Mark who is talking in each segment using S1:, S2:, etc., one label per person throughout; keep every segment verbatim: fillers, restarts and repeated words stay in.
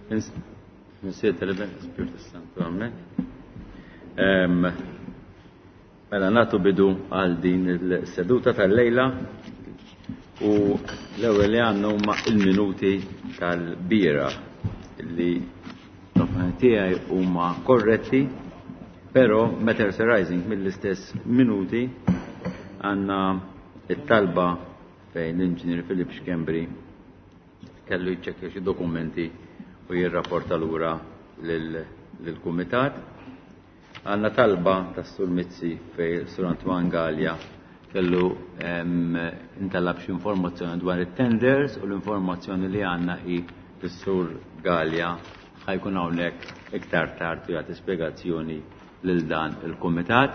S1: Missier, tal-Iben, Spiritu Santu, amen. Em, Mela nagħtu bidu għal din il-seduta tal-lejla u l-ewwel li għandna huma il-minuti tal-bieraħ li l-opinjoni tiegħi huma korretti, però matters arising mill-istess minuti għandna it-talba fejn l-inġinier Philip Schembri kellu jċekkja xi dokumenti u jirrapporta lura lill-kumitat. Għandna talba tas Sur Mizzi fejn Sur Antoine Gallia kellu intalab xi informazzjoni dwar it-tenders u l-informazzjoni li għandna hi s-Sur Gallia ħa jkun hawnhekk iktar tard u jagħti spjegazzjoni lil dan il-kumitat.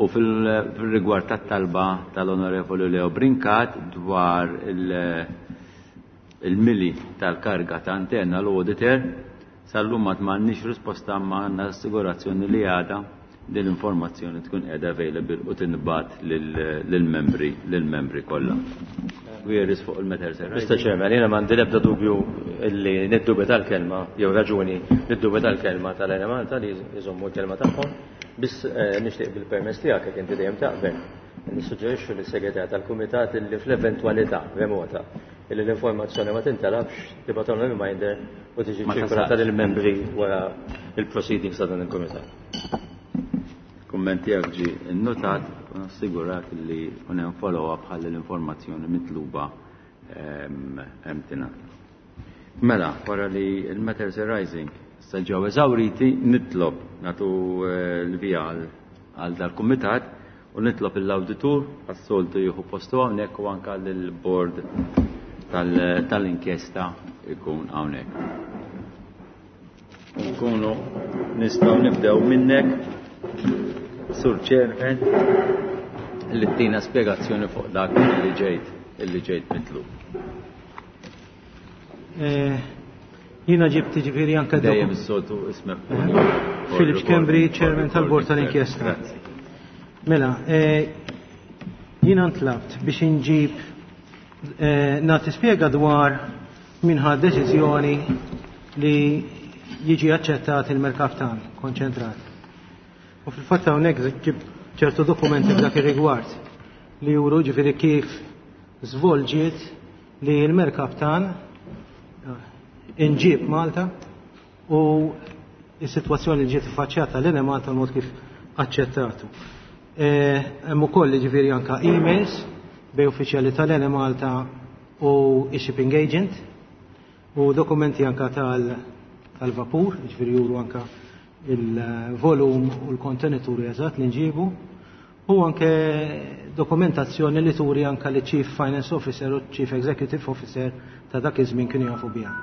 S1: U fil-rigward tat-talba tal-Onorevoli Leo Brincat dwar il-mili tal-karga ta' internal auditor, sal-lum ma m'għandniex risposta, ma għandna assigurazzjoni li għada din l-informazzjoni tkun qiegħda available u tinbagħat lill-membri lill-membri kollha. Queries fuq il-matters?
S2: Mister Chairman, jiena m'għandi l-ebda dubju illi niddubita l-kelma, jew raġuni niddubita l-kelma tal-Enemalta li jżommu l-kelma tagħhom. Biss eh, nixtieq bil-permess tiegħek, jekk inti dejjem taqbel, nissuġġerixxu lis-segretar tal-kumitat illi fl-eventwalità remota illi l-informazzjoni ma tintalabx, tibgħatulna reminder u tiġi ċirkolata lill-membri wara il-proceedings ta' dan il-kumitat.
S1: Kumment tiegħek ġie innotat u nassigurak li kun hemm follow-up ħalli l-informazzjoni mitluba hemm tingħata. Mela, wara li il-matters arising issa ġew eżawriti, nitlob nagħtu eh, l-vija għal dal-kumitat u nitlob l-awditur għas-soltu jieħu postu hawnhekk u anke lill-board tal-inkjesta ikun hawnhekk. Nkunu nistgħu nibdew minnek, Sur Chairman, li tina spjegazzjoni fuq dak li ġejt illi ġejt mitlub.
S3: Eh, jiena ġibt ġifieri anke
S1: Dejjem is-soltu ismek.
S3: Philip Schembri, Chairman tal-Bord tal-Inkjesta. Mela, eh, jiena ntlabt biex inġib eh, nagħti spjega dwar min ħa deċiżjoni li jiġi aċċettat il-merkaptan konċentrat. U fil-fatt hawnhekk ġib ċertu dokumenti f'dak ir-rigward li juru ġifieri kif żvolġiet li l-merkaptan inġib Malta u is-sitwazzjoni li ġiet iffaċċjata l Malta, l-mod kif aċċettatu. E, hemm ukoll ġifieri anka emails bejn uffiċjali tal-Enemalta u shipping agent u dokumenti anka tal-vapur, ġifieri juru anka il-volum u l-kontenituri eżatt li nġibu u anke dokumentazzjoni li turi anka li Chief Finance Officer u Chief Executive Officer ta' dak iż-żmien kienu jafu biha.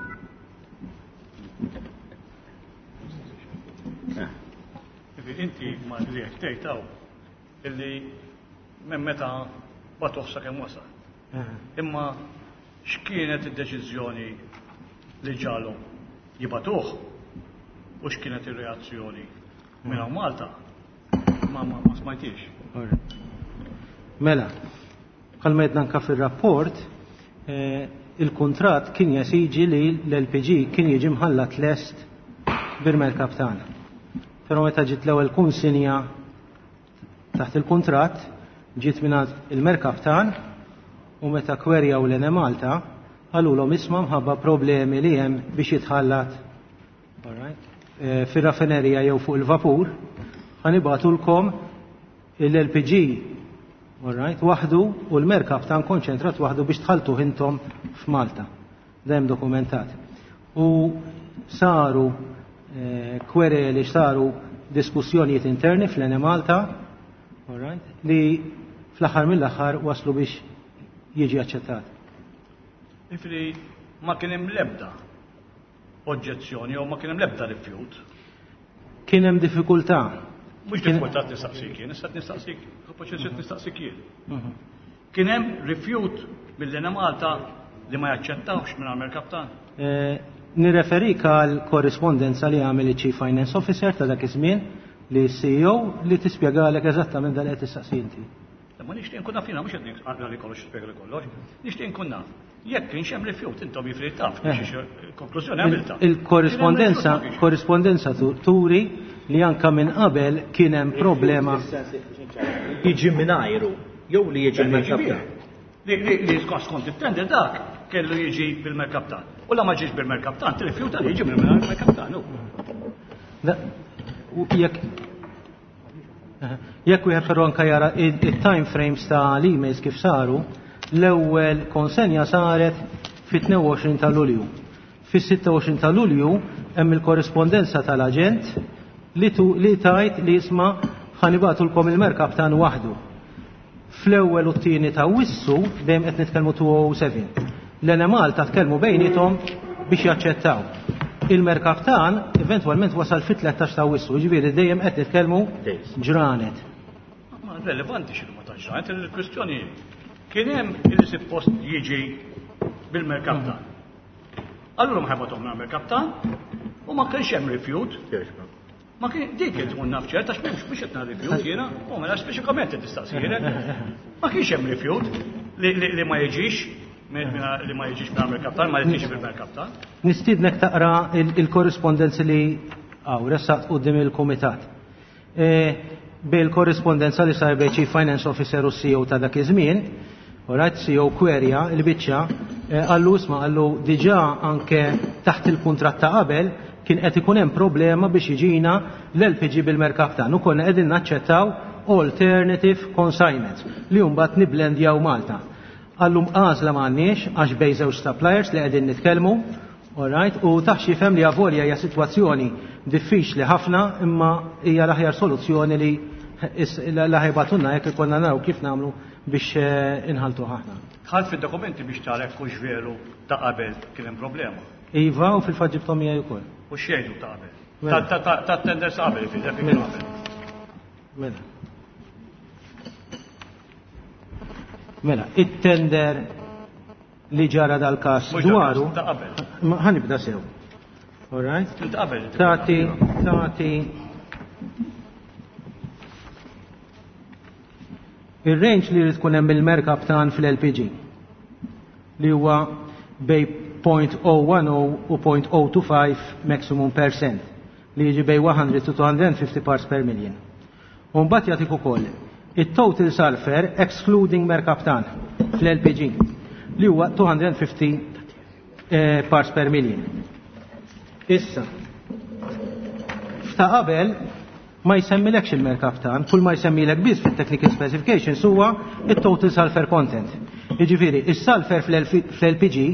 S4: Inti ma li jekk tgħid hawn illi minn meta bagħtuh sakemm wasal. Imma x'kienet id-deċiżjoni li ġalhom jibagħtuh u x'kienet ir-reazzjoni minn hawn Malta? Ma ma ma smajtix.
S3: Mela, bħalma għedna anka fil-rapport, eh, il-kontrat kien jesiġi li l-L P G kien jiġi mħallat lest bil-merkaptan. Pero meta ġiet l-ewwel kunsinja taħt il-kontrat, ġiet mingħand il-merkaptan u meta kwerjaw l-Enemalta, qalulhom, isma', mħabba problemi li hemm biex jitħallat, alright, eh, fir-raffinerija jew fuq il-vapur, ħa nibagħtulkom l-L P G, alright, waħdu u l-merkaptan konċentrat waħdu biex tħaltu intom f'Malta. Dejjem dokumentat. U saru eh, kwereli, saru diskussjonijiet interni fl-Enemalta, alright, li fl-aħħar mill-aħħar waslu biex jiġi aċċettat.
S4: Ifri ma kien hemm l-ebda oġġezzjoni jew ma kien hemm l-ebda rifjut.
S3: Kien hemm diffikultà.
S4: Mhux diffikultà nistaqsik jien, issa nistaqsik, proċess nistaqsik jien. Kien hemm rifjut mill-Enemalta li ma jaċċettawx minn merkaptan?
S3: Eh, Nirreferik għal korrispondenza li għamel il-Chief Finance Officer ta' dak iż-żmien li C E O li tispjegalek eżattament dan qed tistaqsi inti.
S4: Ma nixtieq nkun naf jiena, mhux qed naqra li kollox, spjega li kollox, nixtieq nkun naf. Jekk kienx hemm rifjut, intom jifri taf, konklużjoni għamilta.
S3: Il-korrispondenza korrispondenza turi li anka minn qabel kien hemm problema.
S2: Jiġi mingħajru jew li jiġi bil-merkaptan.
S4: Li skont it-tender dak kellu jiġi bil-merkaptan. U la ma ġiex bil-merkaptan, tirrifjuta li jiġi bil-merkaptan.
S3: Jekk jekk wieħed però anka jara it-time frames ta' l-emails kif saru, l-ewwel konsenja saret fit-tnejn u għoxrin ta' Lulju. Fis-sitta u għoxrin ta' Lulju hemm il-korrispondenza tal-aġent li li tajt li jisma' ħanibatulkom il-merkaptan waħdu. Fl-ewwel u t-tieni ta' Wissu dejjem qed nitkellmu two oh seven. L-Enemalta tkellmu bejniethom biex jaċċettaw. Il-merkaptan eventwalment wasal fit-tlettax ta' Wissu, jiġifieri dejjem qed nitkellmu ġranet.
S4: Ma relevanti x'inhu ma ta' ġranet, il-kwistjoni kien hemm li suppost jiġi bil-merkaptan. Allura ma ħabathom mill-merkaptan u ma kienx hemm rifjut. Ma kien dik qed tkun naf ċert għax m'hemmx biex qed rifjut jiena, u mela speċifikament qed tistaqsijek. Ma kienx hemm rifjut li ma jiġix li ma jiġix bil-merkaptan, ma jiġix bil-merkaptan.
S3: Nistiednek taqra il-korrispondenzi li hawn ressaqt quddiem il-kumitat. Bil-korrispondenza li sar bejn Chief Finance Officer u C E O ta' dak iż-żmien, alright, C E O kwerja il-biċċa, qallu isma' qallu diġà anke taħt il-kuntratt ta' qabel kien qed ikun hemm problema biex jiġina l-L P G bil-merkaptan u konna qegħdin naċċettaw alternative consignments li mbagħad niblendjaw Malta. Għallum għażla m'għandniex għax bejn żewġ suppliers li qegħdin nitkellmu, alright, u taħx jifhem li avolja hija sitwazzjoni diffiċli ħafna imma hija l-aħjar soluzzjoni li la ħajbatunna jekk ikollna naraw kif nagħmlu biex inħaltu ħafna.
S4: Dħalt fid-dokumenti biex tara jekk hux veru ta' qabel kien hemm problema.
S3: Iva, u fil-fatt ġibthom miegħi wkoll.
S4: U x'jgħidu ta' qabel? Ta' tenders qabel, fi dak
S3: Mela.
S4: qabel.
S3: Mela. Mela, it-tender li ġara dal-każ
S4: Mhux dal-każ,
S3: dwaru,
S4: ta' qabel.
S3: Ma ħanibda sew. All right?
S4: Ta' qabel,
S3: Tati, tati. Ir-range li jrid tkun hemm il-merkaptan fil-L P G li huwa bej point oh one oh u point oh two five maximum percent li jiġi bej one hundred to two hundred and fifty parts per million. U mbagħad jagħtik ukoll it-total sulfur excluding merkaptan fl-L P G li huwa two hundred and fifty, eh, parts per million. Issa, f'ta' qabel ma jsemmilekx il-merkaptan, kull ma jsemmilek biss fit-technical specifications huwa it-total sulfur content. Jiġifieri, is-sulfur fl-L P G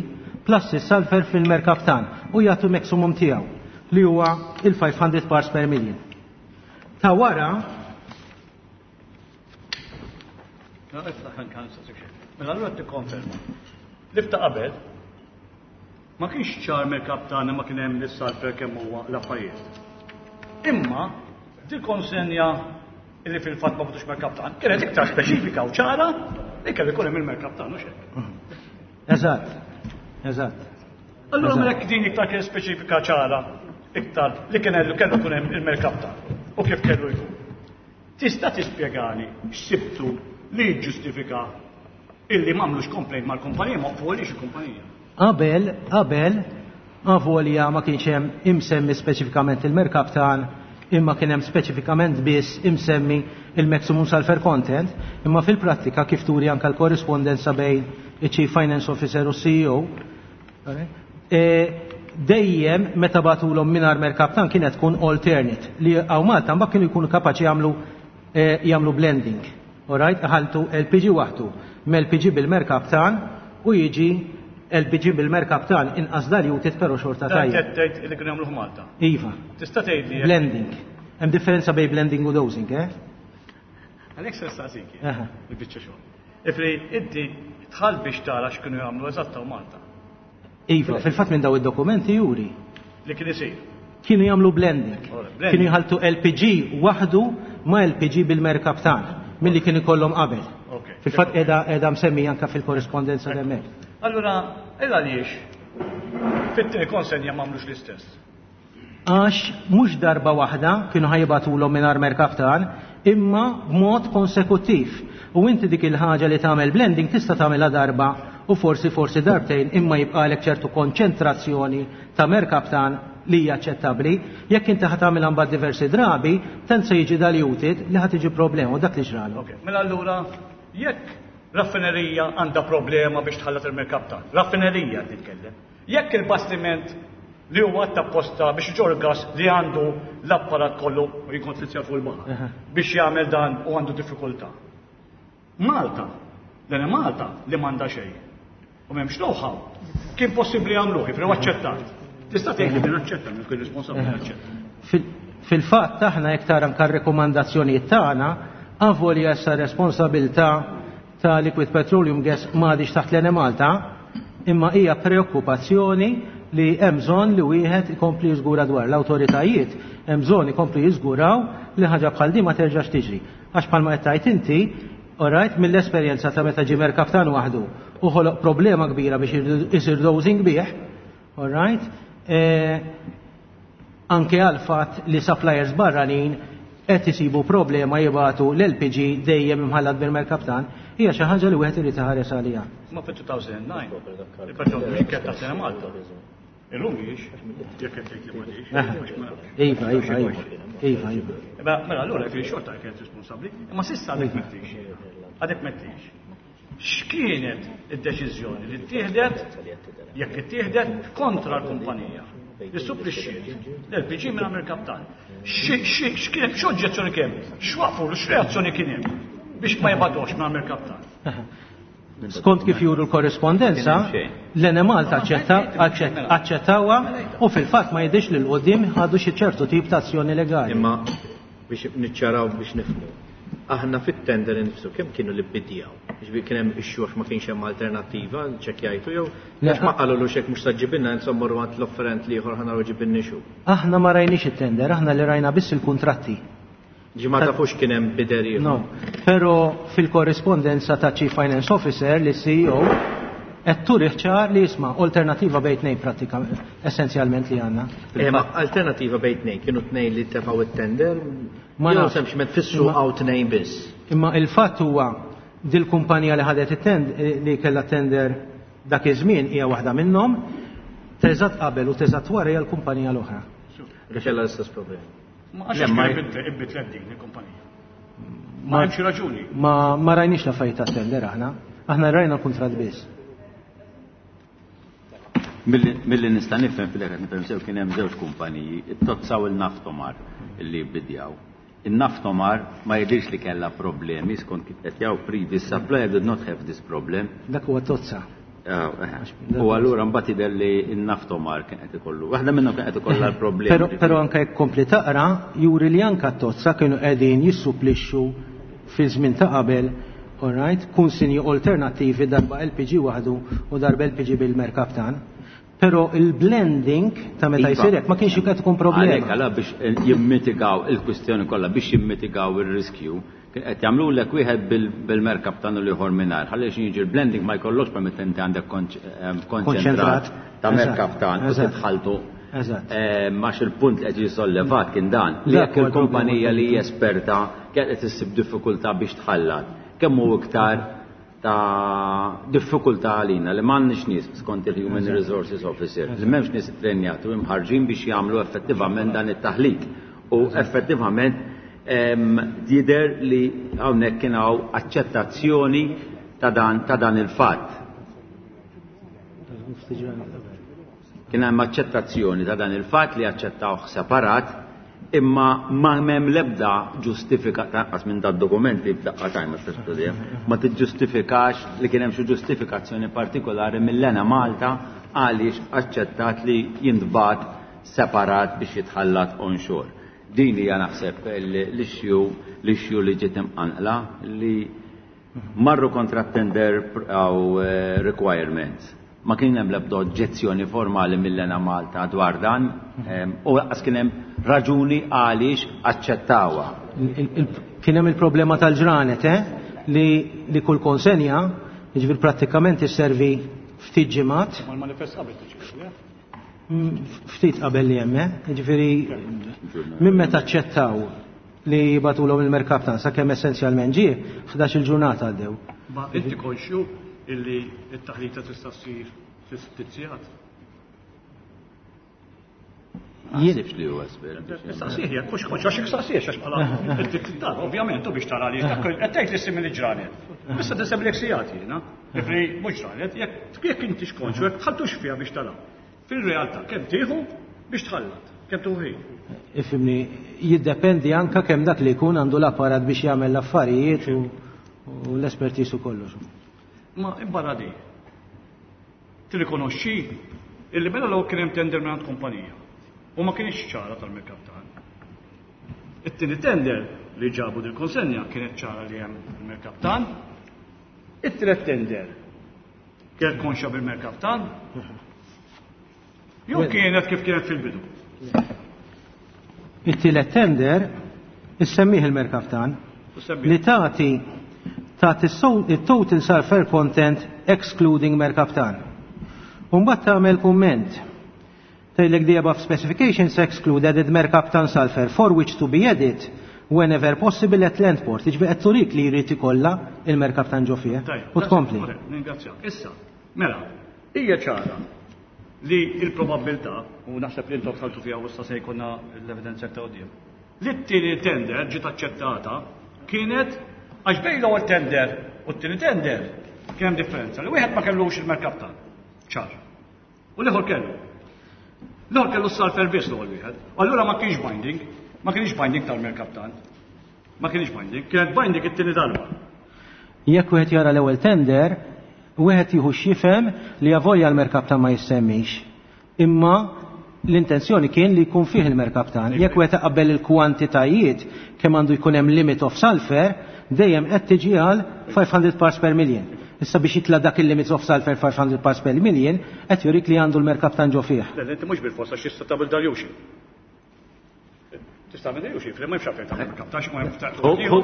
S3: plus is-sulfur fil-merkaptan u jagħtu maximum tiegħu li huwa il-five hundred parts per million. Ta' wara
S4: Mela allura tikkonferma. Li f'ta' qabel ma kienx ċar merkaptan ma kien hemm is-sulfur kemm huwa l-affarijiet. Imma dil konsenja li fil-fatt ma butux merkaptan kienet iktar speċifika u ċara li kellu jkun hemm il-merkaptan u xejn.
S3: Eżatt. Eżatt.
S4: Allura mela jekk din iktar kien speċifika ċara iktar li kien kellu kellu jkun hemm il-merkaptan u kif kellu jkun. Tista' tispjegali x'sibtu li jiġġustifika illi m'għamlux complaint mal-kumpanija, ma waqfulix il-kumpanija.
S3: Qabel, qabel, avolja ma kienx hemm imsemmi speċifikament il-merkaptan, imma kien hemm speċifikament biss imsemmi il-maximum sulfur content, imma fil-prattika kif turi anke l-korrispondenza bejn il-Chief Finance Officer u C E O, e, dejjem meta bagħtulhom mingħajr merkaptan kienet tkun alternate li hawn Malta mbagħad kienu jkunu kapaċi jagħmlu, e, jagħmlu blending. Alright, ħaltu L P G waħdu m-L P G bil-merkaptan u jiġi L P G bil-merkaptan inqas diluted però xorta
S4: Dan
S3: tajjeb.
S4: qed tgħid li kienu jagħmluh Malta.
S3: Iva.
S4: Tista' tgħid li
S3: Blending. Hemm differenza bejn blending u dosing, eh?
S4: Għalhekk se nistaqsik jien,
S3: Aha.
S4: il-biċċa xogħol. Ifri inti tħall biex tara x'kienu jagħmlu eżatt hawn Malta.
S3: Iva, fil-fatt minn daw id-dokumenti juri.
S4: Li kien isir.
S3: Kienu jagħmlu blending.
S4: Ora, blending.
S3: Kienu jħaltu L P G waħdu ma' L P G bil-merkaptan milli kien ikollhom qabel.
S4: Ok.
S3: Fil-fatt qiegħda, qiegħda msemmi anke fil-korrispondenza hemmhekk.
S4: Allura, il għaliex fit-tieni konsenja m'għamlux l-istess?
S3: Għax mhux darba waħda kienu ħajbatulhom mingħajr merkaptan, imma b'mod konsekuttiv. U inti dik il-ħaġa li tagħmel blending tista' tagħmilha darba u forsi forsi darbtejn imma jibqalek ċertu konċentrazzjoni ta' merkaptan li hija aċċettabbli, jekk inti ħa tagħmilha mbagħad diversi drabi, tant se jiġi diluted li ħa tiġi problema u dak li ġralu.
S4: Ok, mela allura jekk raffinerija għandha problema biex tħallat il-merkaptan, raffinerija qed nitkellem. Jekk il-bastiment li huwa apposta biex iġorr gas li għandu l-apparat kollu u jikonsizzja fuq il-baħar biex jagħmel dan u għandu diffikultà. Malta, dan Malta li m'għandha xejn. U m'hemmx know-how. Kien possibbli jagħmluh, però aċċettat. Tista' tgħid li din aċċetta minn kull responsabbli aċċetta.
S3: Fil-fatt aħna jekk tara anke r-rekomandazzjonijiet tagħna, avolja issa responsabilità ta' Liquid Petroleum Gas m'għadix taħt l-Enemalta, imma hija preokkupazzjoni li hemm bżonn li wieħed ikompli jiżgura dwar l-awtoritajiet, hemm bżonn ikompli jiżguraw li ħaġa bħal din ma terġax tiġri. Għax bħalma qed tgħid inti, alright, mill-esperjenza ta' meta ġie merkaptan waħdu u ħoloq problema kbira biex isir dosing bih, alright, eh, anke għal fatt li suppliers barranin qed isibu problema jibatu l-L P G dejjem imħallat bil-merkaptan, hija xi ħaġa li wieħed irid iħares għaliha.
S4: Ma fit-elfejn u disgħa, il-petrol mhix kien ta' Malta. Illum mhijiex, jekk qed tgħid li m'għadix.
S3: Iva, iva, iva. Iva, iva.
S4: Mela allura jekk xorta kienet responsabbli, imma s'issa għadek m'għedtix. Għadek m'għedtix. X'kienet id-deċiżjoni li ttieħdet jekk ittieħdet kontra l-kumpanija li supplixxiet l-L P G minn merkaptan? X'kienet, x'oġġezzjoni kien? X'waqfu, x'reazzjoni kien hemm biex ma jibgħatux minn merkaptan?
S3: Skont kif juru l-korrespondenza, l-Enemalta aċċettawha u fil-fatt ma jidhirx li 'l quddiem ħadu xi ċertu tip ta' azzjoni legali.
S5: Imma biex niċċaraw, biex nifhmu. Aħna fit-tender nifsu kemm kienu li bidjaw? Ġifieri kien hemm issue ma kienx hemm alternattiva, ċekkjajtu jew għax ma qalulu xek mhux ġibilna, insomma morru għand l-offerent l-ieħor ħa naraw ġibilni xu.
S3: Aħna ma rajniex it-tender, aħna li rajna biss il-kuntratti.
S5: Ġi ma tafux kien hemm bidder ieħor.
S3: No, pero fil-korrespondenza ta' Chief Finance Officer li C E O qed turi ċar li jisma' alternativa bejn tnejn pratika essenzjalment li għandna.
S5: Eh, ma alternativa bejn tnejn, kienu tnejn li tefgħu it-tender?
S3: Ma
S5: jew
S3: nafx.
S5: Sempliċement fissu
S3: Imma-
S5: għaw tnejn biss.
S3: Imma il-fatt huwa dil-kumpanija li ħadet it-tender, li kellha tender dak iż-żmien, hija waħda minnhom, teżat qabel u teżat wara hija l-kumpanija l-oħra.
S5: Li kellha l-istess problemi.
S4: Ma għax
S1: Le, ma-
S4: kien ibidlet din il-kumpanija. Ma hemmx raġuni.
S3: Ma, ma rajniex l-affarijiet tat-tender aħna. Aħna rajna l-kuntratt biss.
S1: Milli milli nista' nifhem fil qed nifhem sew, kien hemm żewġ kumpaniji, it-Totsa u l-Naftomar illi bidjaw. Il-Naftomar ma jidhirx li kellha problemi skont kif qed jaw previous supplier did not have this problem.
S3: Dak huwa Totsa.
S1: Ah, eh. U allura mbagħad jidher li n-Naftomar kien qed ikollu. Waħda minnhom kien qed ikollha l-problemi.
S3: Pero, pero anke jekk kompli taqra, juri li anka Totsa kienu qegħdin jissupplixxu fi żmien ta' qabel, alright, kunsinji alternattivi, darba L P G waħdu u darba L P G bil-merkaptan. Pero il-blending ta' meta
S1: Iva.
S3: jsir hekk ma kienx qed ikun
S1: Għalhekk
S3: problema.
S1: għala biex jimmitigaw il-kwistjoni kollha, biex jimmitigaw ir-riskju, kien qed jagħmlu lek wieħed bil- bil-merkaptan u l-ieħor mingħajr. Ħalli xi jiġi l-blending ma jkollokx per meta inti għandek konċ- em, konċentrat ta'
S3: Eżatt.
S1: merkaptan u
S3: Eżatt.
S1: titħaltu.
S3: Eżatt.
S1: Eh, Max il-punt li qed jisollevat kien dan li
S3: Dak
S1: jekk
S3: huwa l-problema.
S1: il-kumpanija li hija esperta kienet qed issib diffikultà biex tħallat. Kemm hu iktar ta' diffikultà għalina li m'għandniex nies skont il-Human Resources Officer, li m'hemmx nies trenjati u imħarġin biex jagħmlu effettivament dan it-taħlit. U effettivament em, jidher li hawnhekk kien hawn aċċettazzjoni ta' dan ta' dan il-fatt. Kien hemm aċċettazzjoni ta' dan il-fatt li aċċettawh separat, imma ma hemm l-ebda ġustifika tanqas minn dad dokumenti f'daqqa tajma tistudja ma tiġġustifikax li kien hemm xi ġustifikazzjoni partikolari mill-Enemalta għaliex aċċettat li jintbagħat separat biex jitħallat onshore. Din hija naħseb l-issue l-issue li ġiet imqanqla li marru kontra tender għaw eh, requirements. Ma kien hemm l-ebda oġġezzjoni formali mill-Enemalta dwar dan em, u lanqas kien hemm raġuni għaliex aċċettawha.
S3: Il- il- Kien hemm il-problema tal-ġranet, eh? Li, li kull konsenja, jiġifieri prattikament isservi ftit ġimgħat,
S4: Ma l-manifest qabel tiġi. eh?
S3: mm, ftit qabel li hemm, eh? Jiġifieri minn meta aċċettaw li jibagħtulhom il-merkaptan sakemm essenzjalment ġie, ħdax-il ġurnata għaddew.
S4: Ma inti konxju illi t-taħlita tista' ssir fi ftit sigħat?
S1: Naħsibx li huwa espert.
S4: Nistaqsih jekk mhux konx għax nistaqsih għax bħala id-dar ovvjament u biex tara li qed tgħid li simili ġranet. Issa tisem lek sigħat jiena. Ġifieri mhux ġranet, jekk jekk inti xkonxu jekk tħalltux fiha biex tara. Fil-realtà kemm tieħu biex tħallat, kemm tieħu ħin.
S3: Ifhimni, jiddependi anka kemm dak li jkun għandu l-apparat biex jagħmel l-affarijiet u l-espertiż u kollox.
S4: Ma imbarra di, tirrikonoxxi illi mela law kien hemm tender minn kumpanija u ma kienx ċara tal-merkaptan. It-tieni tender li ġabu dil-konsenja kienet ċara li hemm il-merkaptan. It-tielet tender kienet konxa bil-merkaptan. Jew kienet kif kienet fil-bidu.
S3: It-tielet tender issemmih il-merkaptan li tagħti tagħti il-total sulfur content excluding merkaptan. Umbagħad tagħmel kumment. Tgħidlek the above specifications exclude added mercaptan sulfur for which to be added whenever possible at land port. Jiġifieri qed turik li jrid ikollha il-merkaptan ġo fih. U tkompli.
S4: Ningrazzjak. Issa, mela, hija ċara li il-probabilità, u naħseb li intom dħaltu fiha u issa se jkollna l-evidenza ta' quddiem, li t-tieni tender ġiet aċċettata kienet għax bejn l-ewwel tender u t-tieni tender kien hemm differenza li wieħed ma kellux il-merkaptan. Ċar. U l-ieħor kellu. L-ieħor kellu s-sulfur biss l-ewwel wieħed. Allura ma kienx binding, ma kienx binding tal-merkaptan. Ma kienx binding, kienet binding it-tieni darba.
S3: Jekk wieħed jara l-ewwel tender, wieħed jieħu x'jifhem li avolja l-merkaptan ma jissemmix. Imma l-intenzjoni kien li jkun fih il-merkaptan. Jekk wieħed iqabbel il-kwantitajiet kemm għandu jkun hemm limit of sulfur, dejjem qed tiġi għal five hundred parts per million. Issa biex jitla dak il-limits of sulfur five hundred parts per million, qed jurik li għandu l-merkaptan ġo fih.
S4: Le, inti mhux bil-forsa x'jista' tagħmel dilution. Tista' tagħmel dilution, ma hemmx għalfejn tagħmel merkaptan, xi ma hemmx ta'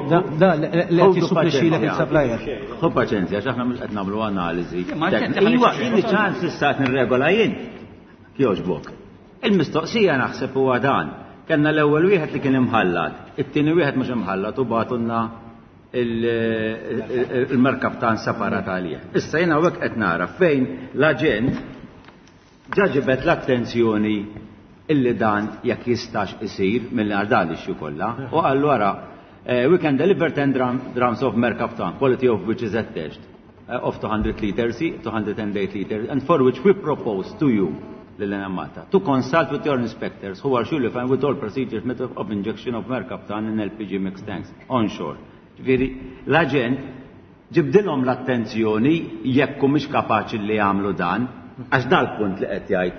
S3: Da, da, le, le, qed jissupplixxilek il-supplier.
S1: Ħu paċenzja, għax aħna mhux qed nagħmlu analiżi.
S4: Ma inti
S1: Iwa,
S4: ħalli
S1: jien ċans issa qed nirregola jien. Jogħġbok. Il-mistoqsija naħseb huwa dan. Kellna l-ewwel wieħed li kien imħallat, it-tieni wieħed mhux imħallat u bagħtulna il-merkaptan separat għalih. Issa jiena hawnhekk qed nara fejn l-aġent ġa ġibet l-attenzjoni illi dan jekk jistax isir mill-għar dan l-issue kollha u qallu wara, eh, we can deliver ten drum, drums of merkaptan, quality of which is attached, eh, of two hundred liters, two hundred and eight liters, and for which we propose to you, lil Malta, to consult with your inspectors who are surely fine with all procedures method of injection of merkaptan in L P G mixed tanks onshore. Ġifieri, l-aġent ġibdilhom l-attenzjoni jekk mhux kapaċi li jagħmlu dan, għax dal-punt li qed jgħid,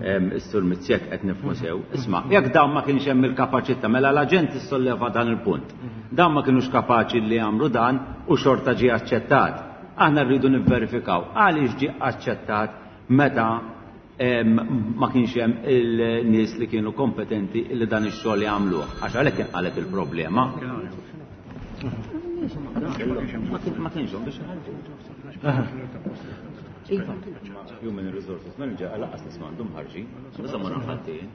S1: em, is-Sur Mizzi qed nifhmu sew. Isma', jekk dawn ma kienx hemm il-kapaċità, mela l-aġent issolleva dan il-punt. Dawn ma kinux kapaċi li jagħmlu dan u xorta ġie aċċettat. Aħna rridu nivverifikaw għaliex ġie aċċettat meta, em, ma kienx hemm il-nies li kienu kompetenti li dan ix-xogħol jagħmluh. Għax għalhekk inqaleb il-problema. Ma kienx hemm biex iħalltu. Iva. Human Resources Manager għal lanqas nies m'għandhom ħarġin. Issa ma nħaddin.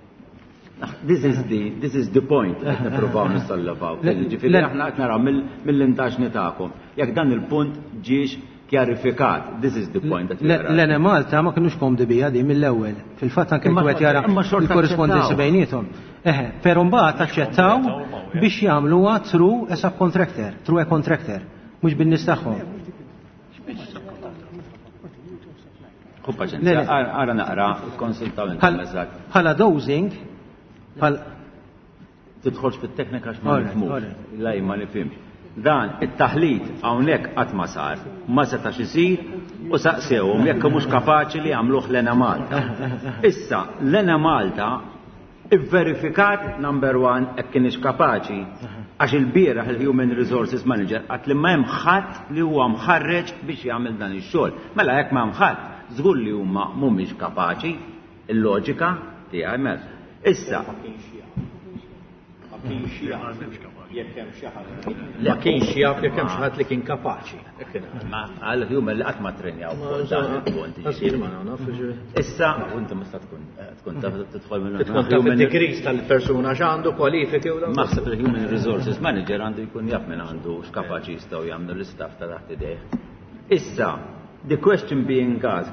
S1: This is the, this is the point qed nippruvaw nissollevaw. Ġifieri aħna qed naraw mill-, mill-intaġni tagħkom. Jekk dan il-punt ġiex kjarifikat, this is the point that we
S3: Le-
S1: are at.
S3: L-Ene Malta ma kinux komdi bija di mill-ewwel. Fil-fatt anke
S1: Imma
S3: jekk wieħed jara
S1: imma xorta
S3: il-korrispondenza
S1: aċċettaw.
S3: bejniethom. Eħe, però mbagħad aċċettaw biex jagħmluha through a subcontractor, through a contractor, mhux bin-nies tagħhom.
S1: Ħu paċenzja,
S3: Le, le.
S1: ara, ara naqra, konsultaw intom
S3: Bħal-
S1: eżatt.
S3: Bħala dosing, bħal
S1: Tidħolx fit-teknika għax ma
S3: Alright,
S1: nifhmux.
S3: alright.
S1: Lej ma nifhimx. Dan it-taħlit hawnhekk qatt ma sar, ma setax isir u saqsewhom jekk mhux kapaċi li jagħmluh l-Ena Malta. Issa, l-Ena Malta ivverifikat number one jekk kienx kapaċi għax il-bieraħ il-Human Resources Manager qatt li ma hemm ħadd li huwa mħarreġ biex jagħmel dan ix-xogħol. Mela jekk ma hemm ħadd, żgur li huma mhumiex kapaċi, il-loġika tiegħi mela. Issa,
S5: Ma kienx jaf jekk hemm xi ħadd. Ma kienx jaf jekk hemm xi ħadd li kien kapaċi.
S1: Ma għal human li qatt ma trenjaw fuq dan il-punt.
S5: Qasir ma naf, ġifieri.
S1: Issa, u inti mista tkun, tkun taf tidħol minn
S5: Tkun taf id-degrees tal-persuna x'għandu, kwalifiki u dan.
S1: Naħseb il-Human Resources Manager għandu jkun jaf minn għandu x'kapaċi jistgħu jagħmlu l-istaff ta' taħt idejh. Issa, The question being asked,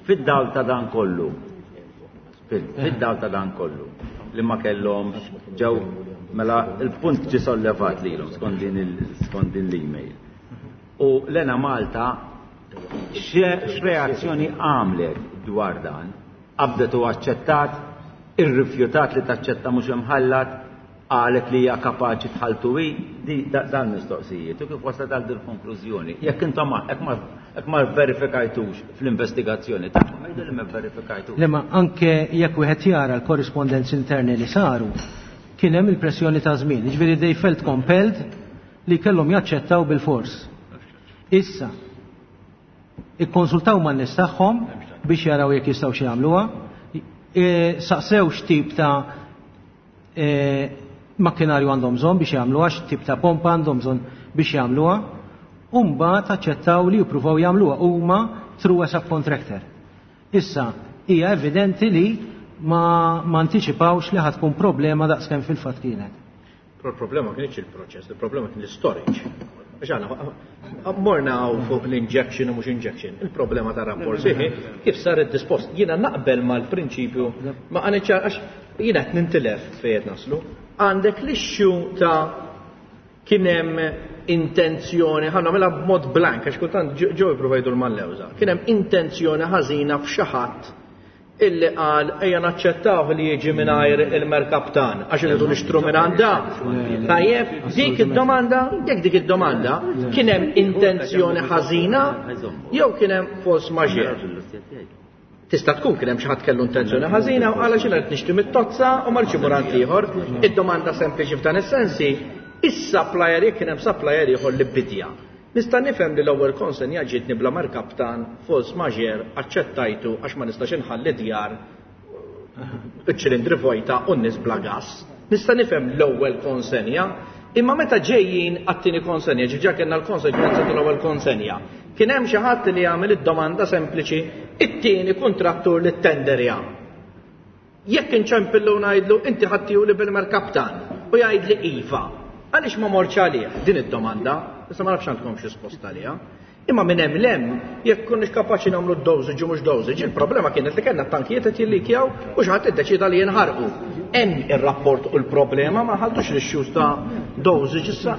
S1: fid-dawl ta' dan kollu, fid-dawl ta' dan kollu, li ma kellhomx ġew mela il-punt ġie sollevat lilhom skont din skont din l-email. U l-Enemalta x'reazzjoni għamlet dwar dan? Qabdet u aċċettat, irrifjutat li taċċetta mhux imħallat, qalet li hija kapaċi tħaltu hi, di dan mistoqsijiet u kif waslet għal din konklużjoni. Jekk intom jekk ma jekk ma verifikajtux fl-investigazzjoni tagħkom, għidu li ma verifikajtux.
S3: Le ma anke jekk wieħed jara l-korrispondenzi interni li saru, kien hemm il-pressjoni ta' żmien, jiġifieri they felt compelled li kellhom jaċċettaw bil-fors. Issa, ikkonsultaw man-nies tagħhom biex jaraw jekk jistgħu xi jagħmluha, e, saqsew x'tip ta' e, makkinarju għandhom bżonn biex jagħmluha, x'tip ta' pompa għandhom bżonn biex jagħmluha, u mbagħad aċċettaw li jippruvaw jagħmluha huma through a subcontractor. Issa, hija evidenti li ma, ma antiċipawx li ħa tkun problema daqskemm fil-fatt kienet.
S5: Però il-problema kienx il-proċess, il-problema kien l-storage. Għax aħna morna fuq l-injection u mhux injection. Il-problema ta' rapport siħi kif sar id-dispost. Jiena naqbel mal-prinċipju ma għaniċ għax jiena qed nintilef fejn qed naslu. Għandek l-issue ta' kien hemm intenzjoni, ħa nagħmilha b'mod blank, għax kultant ġew jipprovajdu l-mallewża. Kien hemm intenzjoni ħażina f'xi ħadd illi qal ejja naċċettaw li jiġi mingħajr il-merkaptan għax irridu nixtru minn għandha. Tajjeb, dik id-domanda, jekk dik id-domanda kien hemm intenzjoni ħażina jew kien hemm force majeure. Tista' tkun kien hemm xi ħadd kellu intenzjoni ħażina u qal għax qed nixtri mit-tozza u ma rridx imur għand ieħor. Id-domanda sempliċi f'dan is-sensi, is-supplier jekk kien hemm supplier ieħor li bidja. Nista' nifhem li l-ewwel konsenja ġietni bla merkaptan force majeure aċċettajtu għax ma nistax inħalli djar iċ-ċilindri vojta u n-nies bla gas. Nista' nifhem l-ewwel konsenja, imma meta ġejjin għat-tieni konsenja, ġiġa kellna l-konsekwenza tal-ewwel konsenja. Kien hemm xi ħadd li jagħmel id-domanda sempliċi it-tieni kontrattur li tenderja. Jekk inċempillu ngħidlu inti ħattiju li bil-merkaptan u jgħidli iva, għaliex ma morċ għalih din id-domanda? Issa ma nafx għandkom xi risposta għaliha. Imma minn hemm lem, jekk konniex kapaċi nagħmlu dosage u mhux dosage, il-problema kienet li kellna tankijiet qed jillikjaw u xi ħadd iddeċida li jinħarqu. Hemm ir-rapport u l-problema ma ħaltux l-issues ta' dosage issa.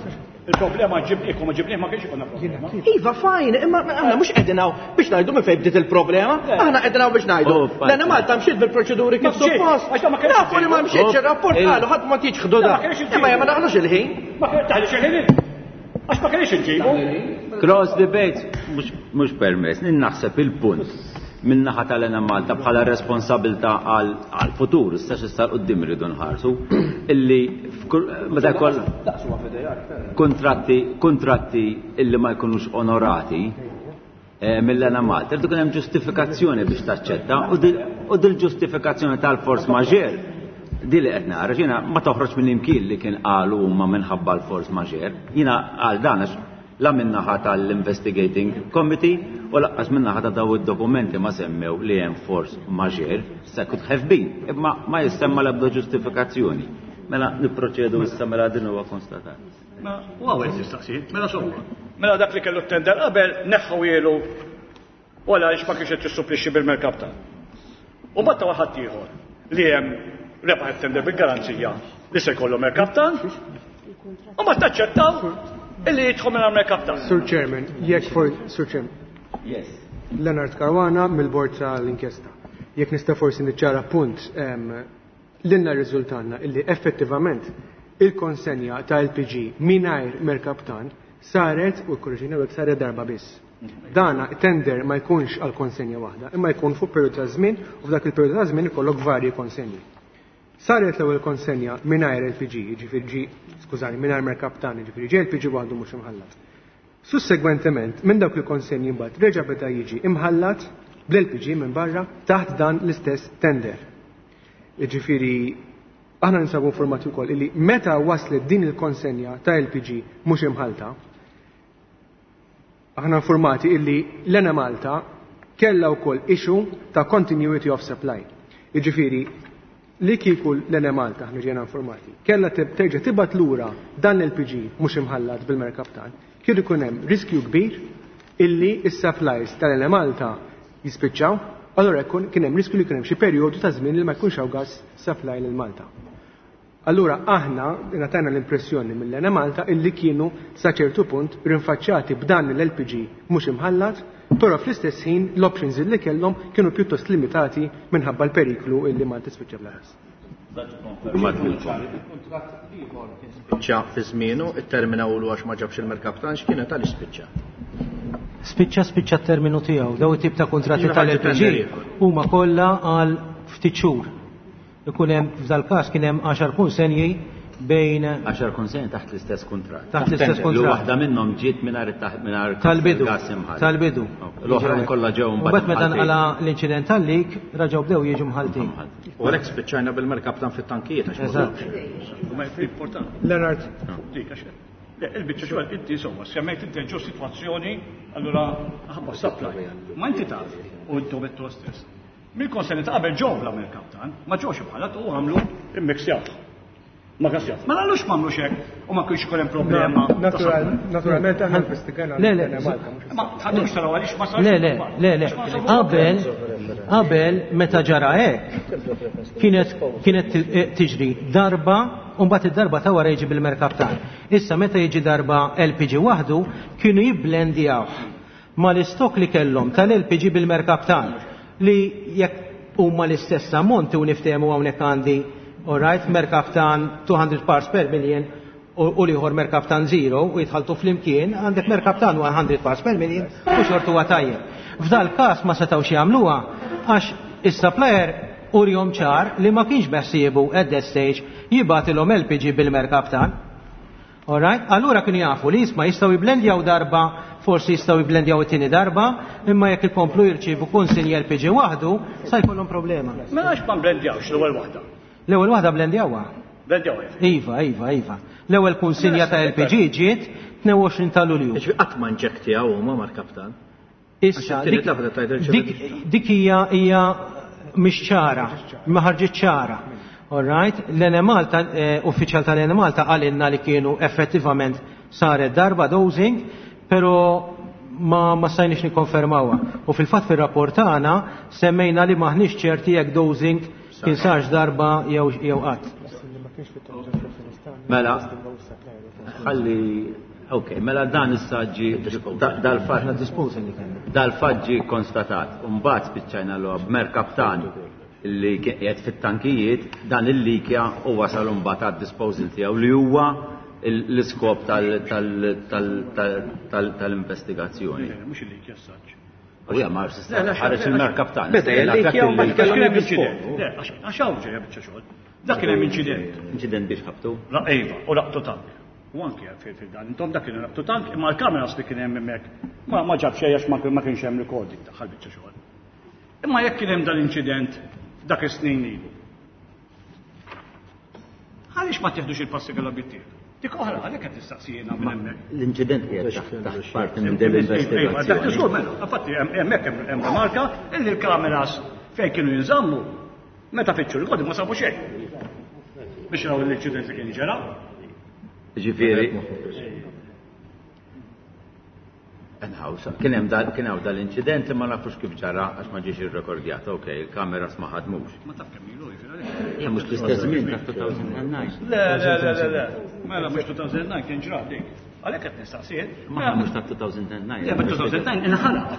S4: Il-problema ġib ma ġibnieh ma kienx ikun problema.
S5: Iva, fine, imma aħna mhux qegħdin hawn biex ngħidu minn fejn bdiet il-problema, aħna qegħdin hawn biex ngħidu. L-Enemalta mxiet bil-proċeduri kif suppost. Nafu li ma mxietx ir-rapport qalu ħadd ma tiġħdu da. Imma ma naħlux il-ħin.
S4: Ma taħlux il-ħin. Għax ma kienx inġibu.
S1: Cross debate mhux permess, naħseb il-punt min-naħa tal-Enemalta bħala responsabilta għal-futur, issa x'issa quddiem irridu nħarsu, illi meta jkoll kontratti kontratti illi ma jkunux onorati mill-Enemalta, irridu kien hemm ġustifikazzjoni biex taċċetta u dil-ġustifikazzjoni tal-force majeure di li qed nara jiena ma toħroġ minn imkien li kien qalu huma minħabba l-force majeure. Jiena għal dan għax la min-naħa tal-Investigating Committee u lanqas min-naħa ta' daw id-dokumenti ma semmew li hemm force majeure, se could have been, imma ma jissemma l-ebda ġustifikazzjoni. Mela nipproċedu issa mela din huwa konstatat.
S4: Ma u għawel tistaqsi, mela somma. Mela dak li kellu tender qabel neħħu jielu u għala ma kienx qed jissupplixxi bil-merkaptan. U batta waħad ieħor li hemm rebaħ it-tender bil-garanzija li se jkollu merkaptan u ma taċċettaw illi jidħol minn merkaptan.
S6: Sur Chairman, jekk for Sur Chairman.
S1: Yes.
S6: Leonard Caruana mill-bord tal-inkjesta. Jekk nista' forsi niċċara punt lilna riżultanna illi effettivament il-konsenja ta' L P G mingħajr merkaptan saret u korriġina saret darba biss. Dana tender ma jkunx għal konsenja waħda, imma jkun fuq periodu ta' żmien u f'dak il-periodu ta' żmien ikollok varji konsenji. Saret l-ewwel konsenja mingħajr L P G, jiġifieri ġi, skużani, mingħajr merkaptan, jiġifieri ġi L P G waħdu mhux imħallat. Sussegwentement, minn dawk il-konsenji mbagħad reġa' beda jiġi imħallat bl-L P G minn barra taħt dan l-istess tender. Jiġifieri aħna ninsabu informati wkoll illi meta waslet din il-konsenja ta' L P G mhux imħalta, aħna informati illi l-Enemalta kellha wkoll issue ta' continuity of supply. Jiġifieri li kieku l-Enemalta, aħna ġejna informati, kellha terġa' tibgħat lura dan l-L P G mhux imħallat bil-merkaptan, kien ikun hemm riskju kbir illi is-supplies tal-Enemalta jispiċċaw, allura jkun kien hemm riskju li kien hemm xi perjodu ta' żmien li ma jkunx hawn gas supply lil Malta. Allura aħna ngħatajna l-impressjoni mill-Enemalta illi kienu sa ċertu punt rinfaċċati b'dan l-L P G mhux imħallat, però fl-istess ħin l-options illi kellhom kienu pjuttost limitati minħabba l-periklu illi Malta spiċċa bla gas.
S5: Il-kuntratt ieħor kien spiċċa fi żmienu, it-termina ulu għax ma ġabx il-merkaptan, x'kienet, għaliex spiċċa?
S3: Spiċċa spiċċa t-terminu tiegħu. Daw it-tip ta' kontratti tal-L P G huma kollha għal ftit xhur. Ikun hemm, f'dal każ kien hemm għaxar konsenji bejn
S1: għaxar konsenji taħt l-istess kuntratt.
S3: Taħt l-istess
S1: Li
S3: kuntratt.
S1: waħda minnhom ġiet mingħajr mingħajr
S3: Tal-bidu.
S1: gas imħallat.
S3: Tal-bidu.
S1: L-oħrajn kollha ġew
S3: Mbagħad meta
S1: mbagħad
S3: nqala l-inċident tal-leak, raġgħu bdew jiġu mħaltin.
S5: U għalhekk spiċċajna bil-merkaptan fit-tankijiet għax ma
S3: Eżatt.
S4: Ma importanti.
S6: Leonard,
S4: Dik għax. Le, il-biċċa xogħol inti insomma, semmejt inti ġo sitwazzjoni, allura ħabba supply. Ma inti taf, u intom għedtu stess. Mill-konsenji ta' qabel ġew bla merkaptan, ma ġewx bħala u għamlu immixjaw. Ma gasjaw. Ma għallux ma għamlux hekk u ma kienx ikun hemm problema ta'
S6: natural,
S4: supply.
S6: naturalment aħna investigajna
S3: Le, le,
S6: l-Enemalta, mhux
S4: Ma ħadux taraw għaliex ma sarx.
S3: Le, le, le, le. Qabel, qabel meta ġara hekk, kienet kienet tiġri darba u mbagħad id-darba ta' wara jiġi bil-merkaptan. Issa meta jiġi darba L P G waħdu, kienu jibblendjawh mal-istok li kellhom tal-L P G bil-merkaptan, li jekk huma l-istess ammonti u niftehmu hawnhekk għandi, alright, merkaptan two hundred parts per million u u l-ieħor merkaptan zero u jitħaltu flimkien, għandek merkaptan one hundred parts per million u xortu huwa tajjeb. F'dal każ ma setgħux jagħmluha għax is-supplier urjom ċar li ma kienx beħsiebu at that stage jibgħatilhom L P G bil-merkaptan. Alright? Allura kienu jafu li jisma' jistgħu jiblendjaw darba, forsi jistgħu jiblendjaw it-tieni darba, imma jekk ikomplu jirċievu konsinji L P G waħdu, sa jkollhom problema.
S4: Mela għax ma blendjawx l-ewwel waħda?
S3: L-ewwel waħda blendjawha.
S4: Blendjawha.
S3: Iva, iva, iva. L-ewwel kunsinja ta' L P G ġiet tnejn u għoxrin ta' Lulju.
S5: Ġifieri qatt ma inġektjaw huma merkaptan.
S3: Issa,
S5: Għax it-tieni
S3: dik-
S5: darba tajt irċevet
S3: dik dik hija hija mhix ċara, ma ħarġit ċara. All right, l-Enemalta, eh, uffiċjal tal-Enemalta qalilna li kienu effettivament saret darba dosing, pero ma, ma stajniex nikkonfermawha. U fil-fatt fir-rapport tagħna semmejna li maħniex ċerti jekk dosing kien sarx darba jew jew qatt.
S1: Mela, ħalli, ok, mela dan issa ġi dal-fatt
S3: Aħna disposal li kellna.
S1: Dal-fatt ġi konstatat. Mbagħad spiċċajna l b'merkaptan li qiegħed fit-tankijiet, dan il-likja u wasal mbagħad għad-disposal tiegħu li huwa l-iskop tal-investigazzjoni.
S4: Mhux il-leak jassaġġ.
S1: U ja, ma ħareġ il-merkaptan.
S5: Beda il-leak jew ma
S4: Kien
S5: kellhom
S4: hemm
S5: jiddisponu.
S4: inċident. Le, għax għax hawn ġejja biċċa xogħol. Dak kien hemm inċident.
S1: Inċident biex ħabtu.
S4: La Eva, u laqtu tank. U anki fil fil dan, intom dak kien laqtu tank, imma l-kameras li kien hemm hemmhekk ma ma ġab xejn għax ma ma kienx hemm recording tagħha biċċa xogħol. Imma jekk kien hemm dal-inċident dak is-snin ilu. Għaliex ma tieħdux il-passi kellhom jittieħdu? Dik oħra, għalhekk qed tistaqsijina minn hemmhekk.
S1: L-inċident qiegħed taħt taħt parti minn din
S4: Dak
S1: l-investigazzjoni.
S4: żgur mela, infatti hemmhekk hemm remarka illi l-kameras fejn kienu jinżammu meta fittxu l-kodi ma sabu xejn. Biex raw l-inċident li kien ġara.
S1: Ġifieri. Anyhow, kien hemm dal kien hawn dal-inċident li ma nafux kif ġara għax ma ġiex irrekordjat. Ok, il-kameras ma ħadmux.
S4: Ma taf kemm ilu jiġifieri għalhekk.
S1: Ja, mhux l-istess żmien ta' elfejn u disa'.
S4: Le, le, le, le, le. Mela mhux elfejn u disa' kien ġra dik. Għalhekk qed nistaqsijiet.
S1: Ma mhux ta' elfejn u disa'.
S4: Le, ma elfejn u disa inħalaq.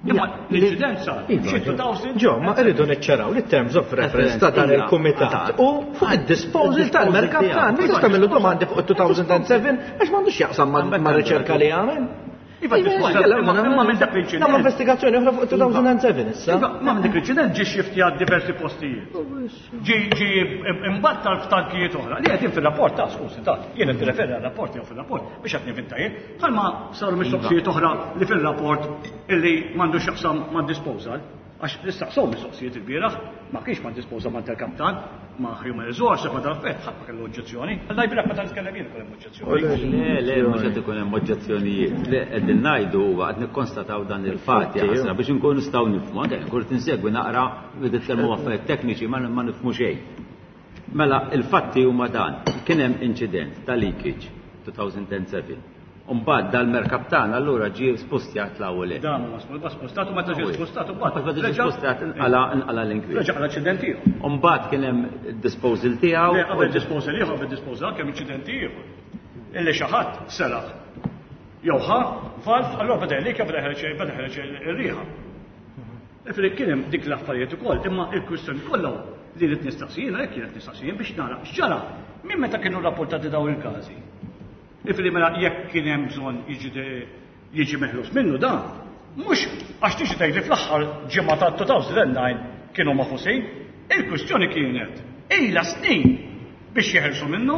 S4: Imma l-inċident sar. Xi elfejn.
S5: Ġo, ma rridu niċċaraw li terms of reference ta' dan il-kumitat u fuq id-disposal tal-merkaptan. Ma tista' tagħmlu domandi fuq il-elfejn u seba' għax m'għandux jaqsam ma' riċerka li għamel.
S4: Iva, disposal, imma imma minn dak l-inċident.
S5: Nagħmlu investigazzjoni oħra fuq elfejn u seba' issa.
S4: Iva, ma minn dak l-inċident ġi xiftjat diversi postijiet. Ġi ġi imbattal f'tankijiet oħra. Li qegħdin fir-rapport ta' skużi ta' jien qed nirreferi għar-rapport jew fir-rapport biex qed nivinta jien. Bħalma saru mistoqsijiet oħra li fir-rapport illi m'għandux jaqsam ma' disposal. Għax nistaqsow mistoqsijiet il-bieraħ, ma kienx ma' disposal ma' tal-kaptan, ma' human resource, ma' tal-affett, ħadd ma kellu oġġezzjoni. Alla jbirak meta nitkellem jien ikun hemm oġġezzjoni.
S1: Le, le, mhux qed ikun hemm oġġezzjonijiet. Le, qegħdin ngħidu huwa qed nikkonstataw dan il-fatt jaħasra biex inkunu nistgħu nifhmu. Anke nkun tinsegwi naqra nitkellmu affarijiet tekniċi ma ma nifhmu xejn. Mela, il-fatti huma dan. Kien hemm inċident ta' leakage elfejn u seba'. Mbagħad dal-merkaptan allura ġie spostjat l-ewwel.
S4: Dan huwa spostat u meta ġie spostat
S1: mbagħad meta ġie spostat inqala inqala l-inkwiet.
S4: Reġa' l-aċċident ieħor.
S1: Mbagħad kien hemm disposal tiegħu.
S4: Le qabel disposal ieħor, qabel disposal kemm inċident ieħor. Illi xi ħadd seraq. Jew ħa valv, allura beda jlik beda ħereġ beda ħereġ ir-riħa. Ifri kien hemm dik l-affarijiet ukoll, imma il-kwistjoni kollha li rid nistaqsijin, hekk kienet nistaqsijin biex nara x'ġara minn meta kienu rapportati dawn il-każi. Ifri mela jekk kien hemm bżonn jiġi jiġi meħlus minnu dan, mhux għax tiġi tgħidli fl-aħħar ġimgħa ta' two thousand nine kienu maħusin, il-kwistjoni kienet ilha snin biex jeħelsu minnu,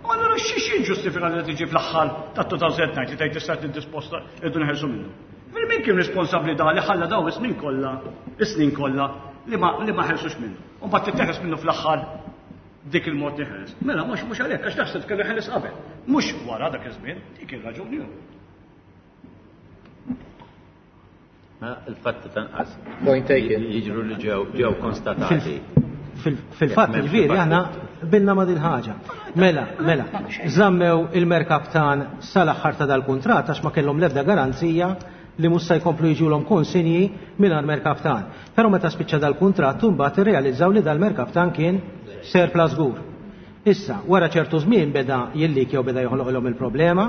S4: u allura xi jiġġustifika li tiġi fl-aħħar ta' two thousand nine li tgħid issa niddisposta rridu neħelsu minnu. Ifri min kien responsabbli da li ħalla daw is-snin kollha, is-snin kollha li ma li ma ħelsux minnu. U mbagħad titteħles minnu fl-aħħar dik il-mod li ħeles. Mela mhux mhux għalhekk għax taħseb kellu ħeles qabel. Mhux wara dak iż-żmien, dik ir-raġuni hu.
S1: Mela il-fatti tanqas.
S5: Point taken.
S1: Jiġru li ġew ġew konstatati.
S3: Fil-fatt ġifieri aħna bilna ma' din ħaġa. Mela, mela, żammew il-merkaptan sal-aħħar ta' dal-kuntratt għax ma kellhom l-ebda garanzija li mhux se jkomplu jiġulhom konsinji mingħajr merkaptan. Però meta spiċċa dal-kuntratt imbagħad irrealizzaw li dal-merkaptan kien surplus żgur. Issa, wara ċertu żmien beda jillik jew beda joħloqilhom il-problema,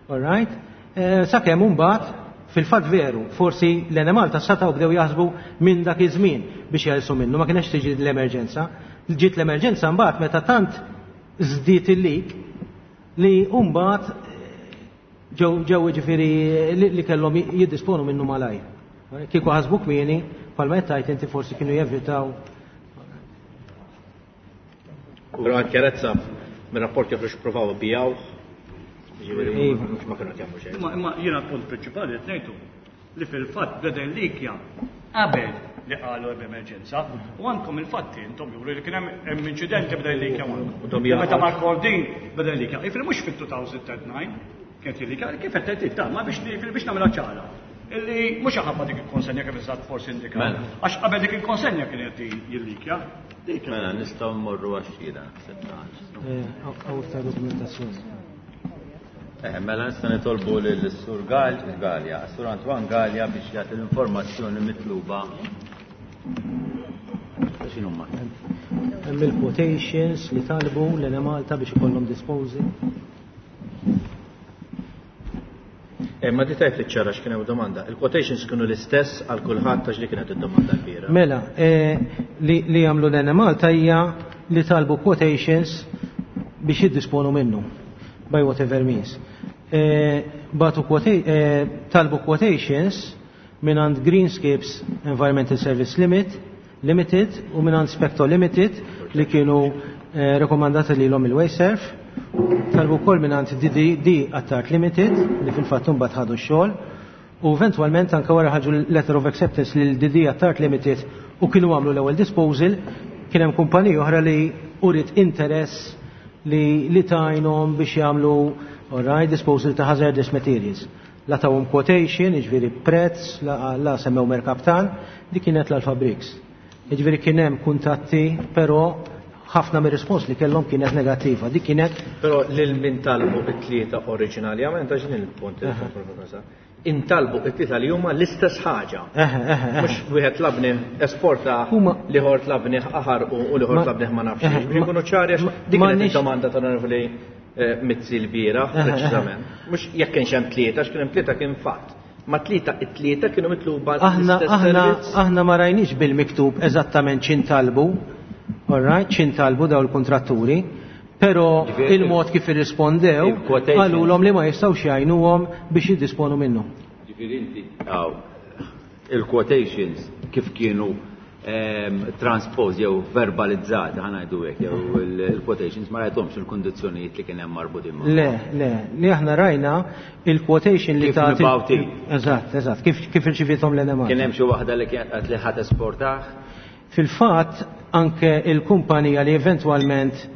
S3: all right? Eh, sakemm imbagħad fil-fatt veru, forsi l-Enemalta setgħu bdew jaħsbu minn dak iż-żmien biex jeħilsu minnu, ma kienx tiġi l-emerġenza. Ġiet l-emerġenza mbagħad meta tant żdied il-lik li mbagħad ġew ġew jiġifieri li, li kellhom jiddisponu minnu malajr. Kieku ħasbu kmieni, bħalma qed tgħid inti forsi kienu jevitaw.
S5: Però għal ċarezza mir-rapport joħroġ provaw bijaw. Ġifieri
S3: Iva.
S5: mhux ma kienu qed jagħmlu xejn.
S4: Imma, imma jiena l-punt prinċipali qed ngħidu li fil-fatt beda l-likja qabel li qalu hemm emerġenza u għandkom il-fatti intom juru li kien hemm, hemm inċidenti beda l-likja
S5: U dom
S4: magħhom. Meta
S5: jaqgħu.
S4: Mark Cordin beda l-likja. Jiġifieri mhux fit-two thousand nine kienet il-likja, kif qed tgħid ta' ma biex biex nagħmilha ċara. Illi mhux ħabba dik il-konsenja kif eżatt forsi indika.
S1: Mela.
S4: Għax qabel dik il-konsenja kienet jillikja. Dik.
S1: Mela nistgħu mmorru għax-xhieda, naħseb ta'
S3: Eh, hawn iktar dokumentazzjoni.
S1: Eh, mela nista' nitolbu lil Sur Gal, Galea, Sur Antoine Galea biex jagħti l-informazzjoni mitluba. X'inhuma?
S3: Hemm il-quotations li talbu l-Enemalta biex ikollhom disposal.
S5: Eh, ma di tajt li ċara x'kien hemm domanda. Il-quotations kienu l-istess għal kulħadd għax li kienet id-domanda kbira.
S3: Mela, eh, li, li jagħmlu l-Enemalta hija li talbu quotations biex jiddisponu minnu by whatever means. Eh, batu quota-, eh, talbu quotations mingħand Greenscapes Environmental Service Limit, Limited u mingħand Specto Limited li kienu, eh, rekomandati lilhom il-Wasteserv. Talbu wkoll mingħand D D D Attard Limited li fil-fatt imbagħad ħadu x-xogħol u eventwalment anke wara ħarġu letter of acceptance lil D D Attard Limited u kienu għamlu l-ewwel disposal, kien hemm kumpanija oħra li urid interess li, li tajnhom biex jagħmlu, all right, disposal ta' hazardous materials. La tawhom quotation, jiġifieri prezz, la, la semmew merkaptan, dik kienet l-Alpha Bricks. Jiġifieri kien hemm kuntatti, però ħafna mir-rispons li kellhom kienet negattiva. Dik kienet
S5: Però lil min talbu it-tlieta oriġinarjament, għax din il-punt li
S3: Aha.
S5: tkun intalbu it-tlieta li huma l-istess ħaġa.
S3: Eħe, eħe, eħe.
S5: Mhux wieħed labni esporta,
S3: Huma
S5: liħor tlabni aħar u, u liħor
S3: Ma-
S5: tlabni ma nafx.
S3: Eħe,
S5: Biex inkunu ċari għax
S3: ma-
S5: dik
S3: ma
S5: kienet
S3: nix-
S5: id-domanda tal-Onorevoli, eh, Mizzi l-bieraħ,
S3: Eħe, eħe.
S5: preċiżament. Mhux jekk kienx hemm tlieta, għax kien hemm tlieta kien fatt. Ma tlieta, it-tlieta kienu mitluba
S3: Aħna,
S5: l-istess
S3: aħna,
S5: servizz.
S3: aħna ma rajniex bil-miktub eżattament x'intalbu, all right, x'intalbu daw il-kontratturi, però
S1: Ġifieri
S3: il-mod kif irrispondew
S1: il-quotation.
S3: qalulhom li ma jistgħux jgħinuhom biex jiddisponu minnu.
S1: Ġifieri inti, aw, il-quotations kif kienu, ehm, transpose jew verbalizzati, ħa ngħidu hekk, jew il-, il-quotations ma rajthomx il-kundizzjonijiet li kien hemm marbutin magħhom.
S3: Le, le, li aħna rajna il-quotation li
S1: Kif
S3: ta'
S1: mibgħutin.
S3: Eżatt, eżatt, kif, kif irċivithom l-Enemalta.
S1: Kien hemm xi waħda li kienet qed li ħadd esportah?
S3: Fil-fatt anke il-kumpanija li eventwalment,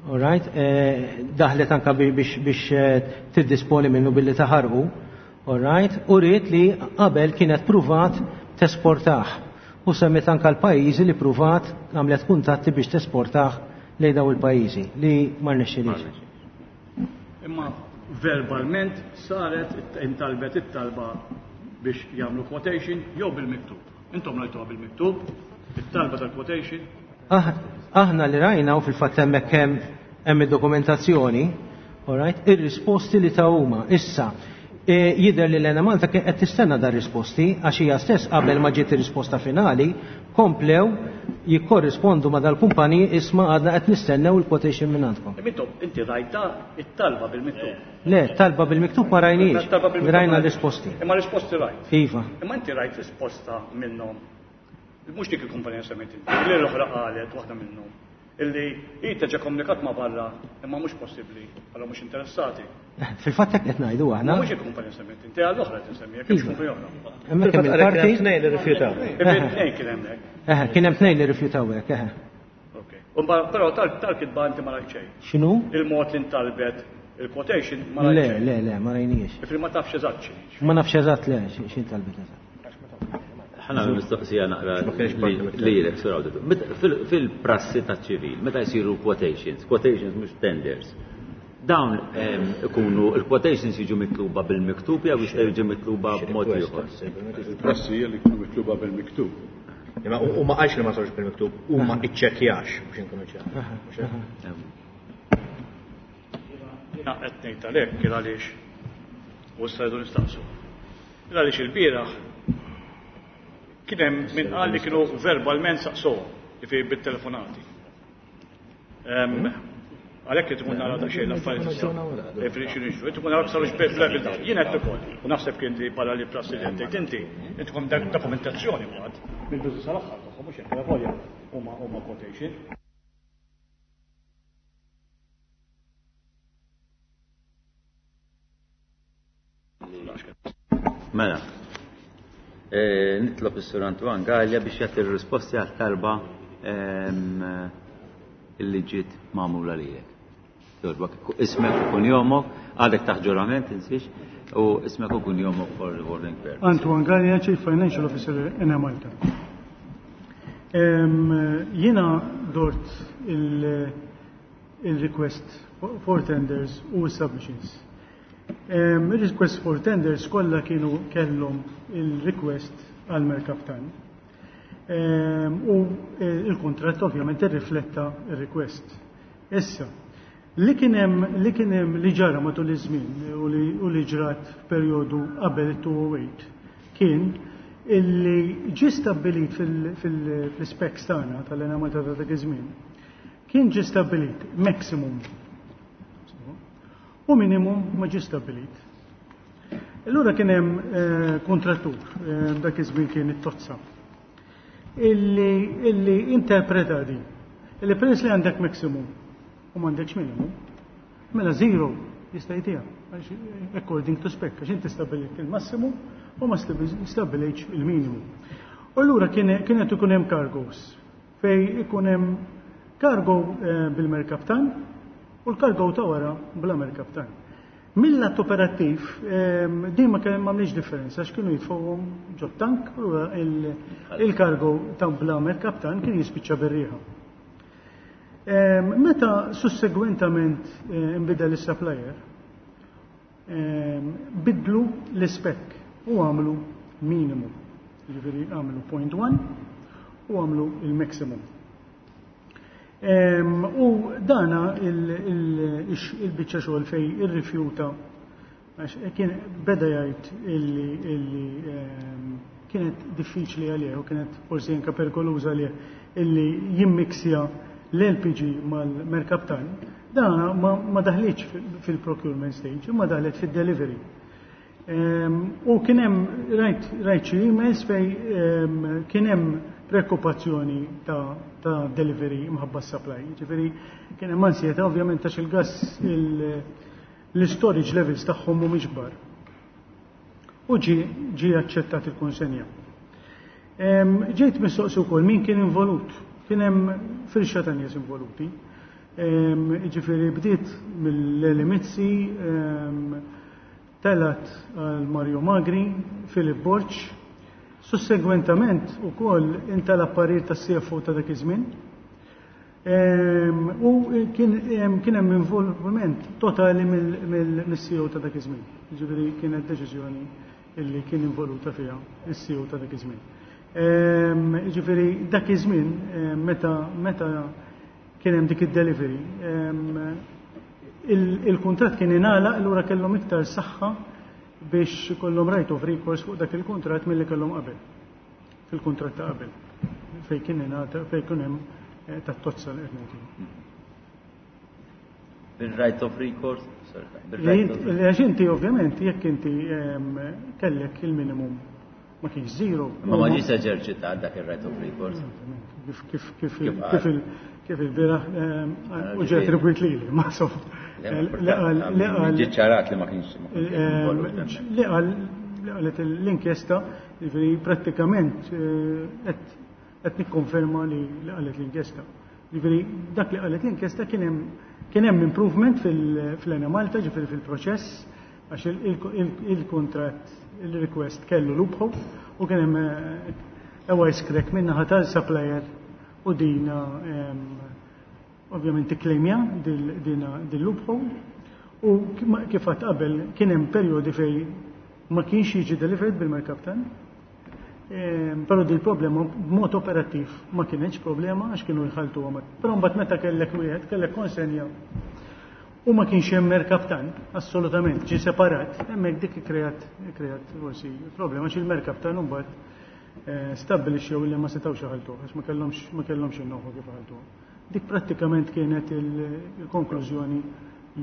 S3: all right, eh, daħlet anka bi-, biex, biex, eh, tiddisponi minnu billi taħarqu, all right, u rrit li qabel kienet pruvat tesportah. U semmet anka l-pajjiżi li pruvat għamlet kuntatti biex tesportah lejn daw il-pajjiżi li ma rnexxilix.
S4: Imma Verbalment saret intalbet it-talba biex jagħmlu quotation jew bil-miktub. Intom rajtuha bil-miktub, it-talba tal-quotation.
S3: Aħna li rajna u fil-fatt hemmhekk hemm hemm id-dokumentazzjoni, all right, ir-risposti li ta' huma. Issa, jidher li l-Enemalta qed tistenna dar risposti għax hija stess qabel ma ġiet ir-risposta finali komplew jikkorrispondu ma dal-kumpaniji isma' għadna qed nistennew il-quotation minn għandkom.
S4: Intom inti rajta it-talba bil-miktub.
S3: Le, talba bil-miktub ma rajniex. Rajna risposti.
S4: Imma risposti rajt.
S3: Iva.
S4: Imma inti rajt risposta minnhom. Mhux dik il-kumpanija semmejt inti, li l-oħra qalet waħda minnhom. Illi hi teġa komunikat ma' barra imma mhux possibbli, għalhom mhux interessati.
S3: Fil-fatt hekk qed ngħidu aħna.
S4: Mhux il-kumpanija semmejt inti, għall-oħra qed insemmi, jekk hemmx kumpanija oħra.
S3: Hemmhekk hemm il-parti.
S5: Tnejn li rrifjutaw.
S4: Tnejn kien hemmhekk.
S3: Eħe, kien hemm tnejn li rrifjutaw hekk, eħe.
S4: Ok. Però tal-kitba inti ma rajt xejn.
S3: X'inhu?
S4: Il-mod li ntalbet il-quotation ma rajt
S3: Le, le, le, ma rajniex.
S4: Ifri ma tafx eżatt x'inhi.
S3: Ma nafx eżatt le x'in talbet eżatt.
S1: Ħana mistoqsija naqra lilek, Sur Awditur. Fil-prassi ta' ċivil, meta jsiru quotations, quotations mhux tenders, dawn ikunu il-quotations jiġu mitluba bil-miktub jew jistgħu jiġu mitluba b'mod ieħor?
S7: Il-prassi hija li jkunu mitluba bil-miktub.
S5: Imma u ma qalx li ma sarux bil-miktub, u ma iċċekkjax biex inkunu ċari.
S4: Jiena qed ngħid għalhekk il għaliex u issa rridu nistaqsu. Il għaliex il-bieraħ kien hemm min qal li kienu verbalment saqsuhom, jiġifieri bit-telefonati. Għalhekk qed ikun nara daqsxejn l-affarijiet issa. Jiġifieri x'inhu jiġru, qed ikun nara sarux bil-dawn. Jien qed ukoll, u naħseb kien li bħala li prassi li qed tgħid inti, intkom dokumentazzjoni mbagħad mill-bidu sal-aħħar tagħhom mhux hekk volja huma huma quotation.
S1: Mela. Nitlob is-Sur Antoine Galea biex jagħti r-risposti għat-talba illi ġiet magħmula lilek. Jogħġbok, ismek u kunjomok, għadek taħt ġurament insiex, u ismek u kunjomok for recording purpose.
S8: Antoine Galea, Chief Financial Officer Enemalta. Jiena dort il-request for tenders u submissions. Il-request for tenders kollha kienu kellhom il-request għal merkaptan. U il-kontratt ovvjament irrifletta il-request. Issa, li kien hemm li kien hemm li ġara matul iż-żmien u li ġrat f'perjodu qabel it-two oh eight kien illi ġie stabbilit fil-specs tagħna tal-Enemalta ta' dak iż-żmien kien ġie stabbilit maximum u minimum ma ġie stabbilit. Allura kien hemm kontrattur, dak iż-żmien kien it-Tozza, illi illi interpreta din. Illi peress li għandek maximum u m'għandekx minimum, mela zero jista' jtiha, according to spec, għax inti stabbilit il-massimu u ma stabbilejtx il-minimum. U allura kienet ikun hemm cargos fej ikun hemm cargo bil-merkaptan u l-cargo ta' wara bla merkaptan. Mill-att operattiv, din ma kien m'għamlix differenza għax kienu jitfgħuhom ġo tank u il-cargo ta' bla merkaptan kien jispiċċa bir-riħa. Meta sussegwentament inbidel is-supplier, bidlu l-ispec u għamlu minimum. Jiġifieri għamlu point one u għamlu il-maximum. U dana il-biċċa xogħol fej irrifjuta għax kien beda jgħid illi illi kienet diffiċli għalih u kienet forsi anke perikoluża għalih illi jimmiksja l-L P G mal-merkaptan. Dana ma daħlitx fil-procurement stage, imma daħlet fid-delivery. U kien hemm rajt rajt xi emails fej kien hemm preokkupazzjoni ta' ta' delivery mħabba supply. Ġifieri kien hemm ansjeta ovvjament għax il-gas l-storage levels tagħhom mhumiex kbar. U ġie ġie aċċettat il-konsenja. Ġejt mistoqsi wkoll min kien involut. Kien hemm firxa ta' nies involuti. Ġifieri bdiet mill-Eli Mizzi, telat għal Mario Magri, Filip Borg. Sussegwentament ukoll intalab parir tas-C F O ta' dak iż-żmien. U kien hemm involviment totali mill-C E O ta' dak iż-żmien. Ġifieri kienet deċiżjoni illi kien involuta fiha is-C E O ta' dak iż-żmien. Ġifieri dak iż-żmien meta meta kien hemm dik id-delivery, il-kuntratt kien ingħalaq, allura kellhom iktar saħħa biex ikollhom right of recourse fuq dak il-kuntratt milli kellhom qabel. Fil-kuntratt ta' qabel. Fej kien ingħata, fej kien hemm eh, tat-tozza li qed ngħidu.
S1: Bil-right of recourse? Sorry,
S8: Għax inti ovvjament jekk inti kellek il-minimum ma kienx zero.
S1: Ma ma ġiex eżerċitat dak il-right of recourse.
S8: Kif kif kif kif kif il-bieraħ u ġie attribwit lili, ma so.
S1: Ġie ċarat li ma kienx.
S8: Li qal li qalet l-inkjesta, ġifieri prattikament qed nikkonferma li qalet l-inkjesta. Ġifieri dak li qalet l-inkjesta, kien hemm kien hemm improvement fil-Enemalta, ġifieri fil-proċess, għax il-contract, il-request kellu loophole u kien hemm a wise crack min-naħa tal-supplier u dina ovvjament ikklejmja din loophole u kif għedt qabel kien hemm perjodi fej ma kienx jiġi delivered bil-merkaptan. Però di problema b'mod operattiv ma kienx problema għax kienu jħaltu għamat. Però mbagħad meta kellek wieħed, kellek konsenja u ma kienx hemm merkaptan, assolutament, ġi separat, hemmhekk dik kreat kreat forsi problema għax il-merkaptan mbagħad eh, stabbilixxew li ma setgħux iħaltu għax ma kellhomx ma kellhomx in kif iħaltu. Dik prattikament kienet il-konklużjoni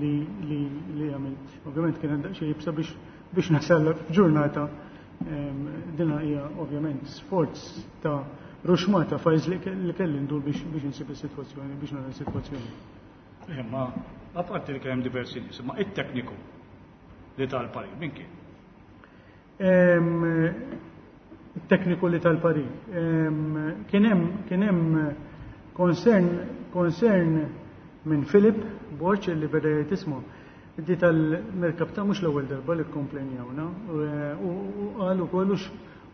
S8: li li li għamilt. Ovvjament kienet daqsxejn iebsa biex biex nasal f'ġurnata. Dina hija ovvjament sforz ta' ruxmata files li kelli ndur biex biex insib is-sitwazzjoni, biex nara s-sitwazzjoni.
S4: Imma apparti li kien hemm diversi nies, imma it-tekniku li tal-parir min kien?
S8: Il-tekniku li tal-parir. Kien hemm kien hemm concern concern minn Philip Borg li beda jgħid, "Isma', di tal-merkaptan mhux l-ewwel darba li komplenjawna," u qal ukoll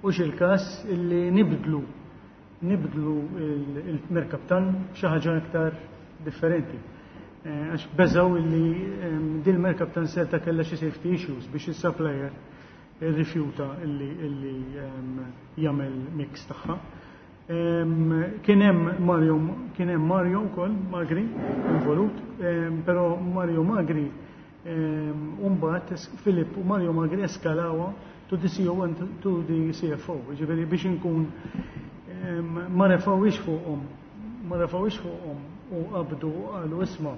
S8: hux il-każ illi nibdlu nibdlu il-merkaptan xi ħaġa iktar differenti. Eh, għax beżaw illi din merkaptan seta' kellha xi safety issues biex is-supplier irrifjuta illi illi jagħmel mix tagħha. Kien hemm Mario kien hemm Mario wkoll Magri involut, però Mario Magri mbagħad Filip u Mario Magri eskalawa to the C E O and to the C F O, ġifieri biex inkun ma refawix fuqhom, ma refawix fuqhom u qabdu qalu, "Isma',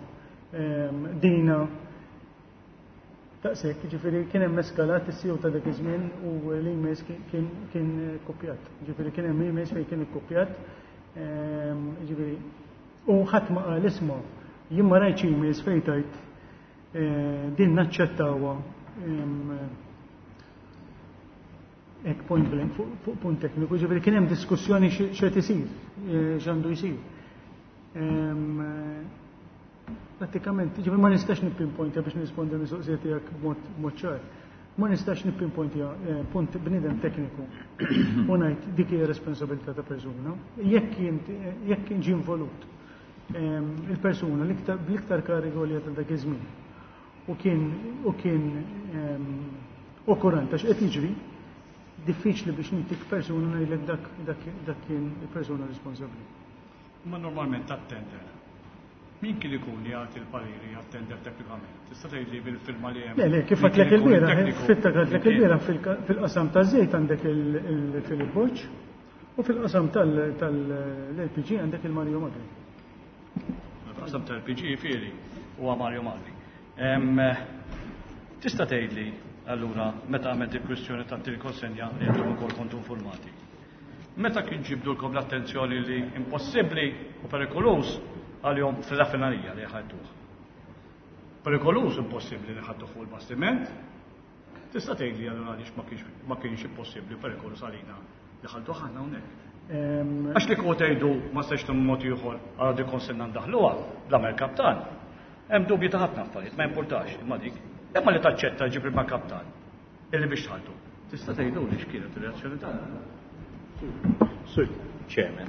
S8: dina taqsek," ġifieri kien hemm eskalat is-C E O ta' dak iż-żmien u l-emails kien kien kopjat. Ġifieri kien hemm emails fejn kien ikkopjat. Ġifieri u ħadd ma qal, "Isma', jien ma rajtx emails fejn tajt eh, din naċċettawha hekk point blank fuq punt tekniku," ġifieri kien hemm diskussjoni x'qed isir, eh, x'għandu jsir. Pratikament, ġifieri ma nistax nippinpointja biex nirrispondi mistoqsija tiegħek b'mod ċar. Ma nistax nippinpointja eh, punt bniedem tekniku u ngħid dik hija responsabilità ta' persuna. Jekk jekk kien ġie involut il-persuna bl-iktar kariga għolja ta' dak iż-żmien u kien u kien okurant għax qed jiġri, diffiċli biex nintik persuna ngħidlek dak dak dak kien il-persuna responsabbli.
S4: Ma normalment tat-tender, min kien ikun li jagħti l-pariri għat-tender teknikament? Tista' tgħidli bil-firma li hemm?
S8: Le, le, kif għedtlek il-bieraħ, fitta għedtlek il-bieraħ, fil-qasam ta' żejt għandek il-Filip Borg u fil-qasam tal-L P G għandek il-Mario Magri.
S4: Fil-qasam tal-L P G fieri huwa Mario Magri. Tista' tgħidli allura meta għamilt il-kwistjoni ta' konsenja li intom ukoll kontu informati? Meta kien ġibdulkom l-attenzjoni li impossibbli u perikoluż għalihom fil-raffinerija li ħadduh? Perikoluż, impossibbli li ħadduh fuq il-bastiment? Tista' tgħidli allura għaliex ma kienx impossibbli u perikoluż għalina li ħadduh aħna hawnhekk? Għax li kieku tgħidu ma setax mod ieħor għal di konsenna ndaħluha bla merkaptan. Hemm dubji ta' ħafna affarijiet, ma importax, imma dik. Imma li taċċetta ġib il-kaptan illi biex tħaltu. Tista' tgħidu li x'kienet ir-reazzjoni tagħna?
S7: Sorry.
S5: Chairman.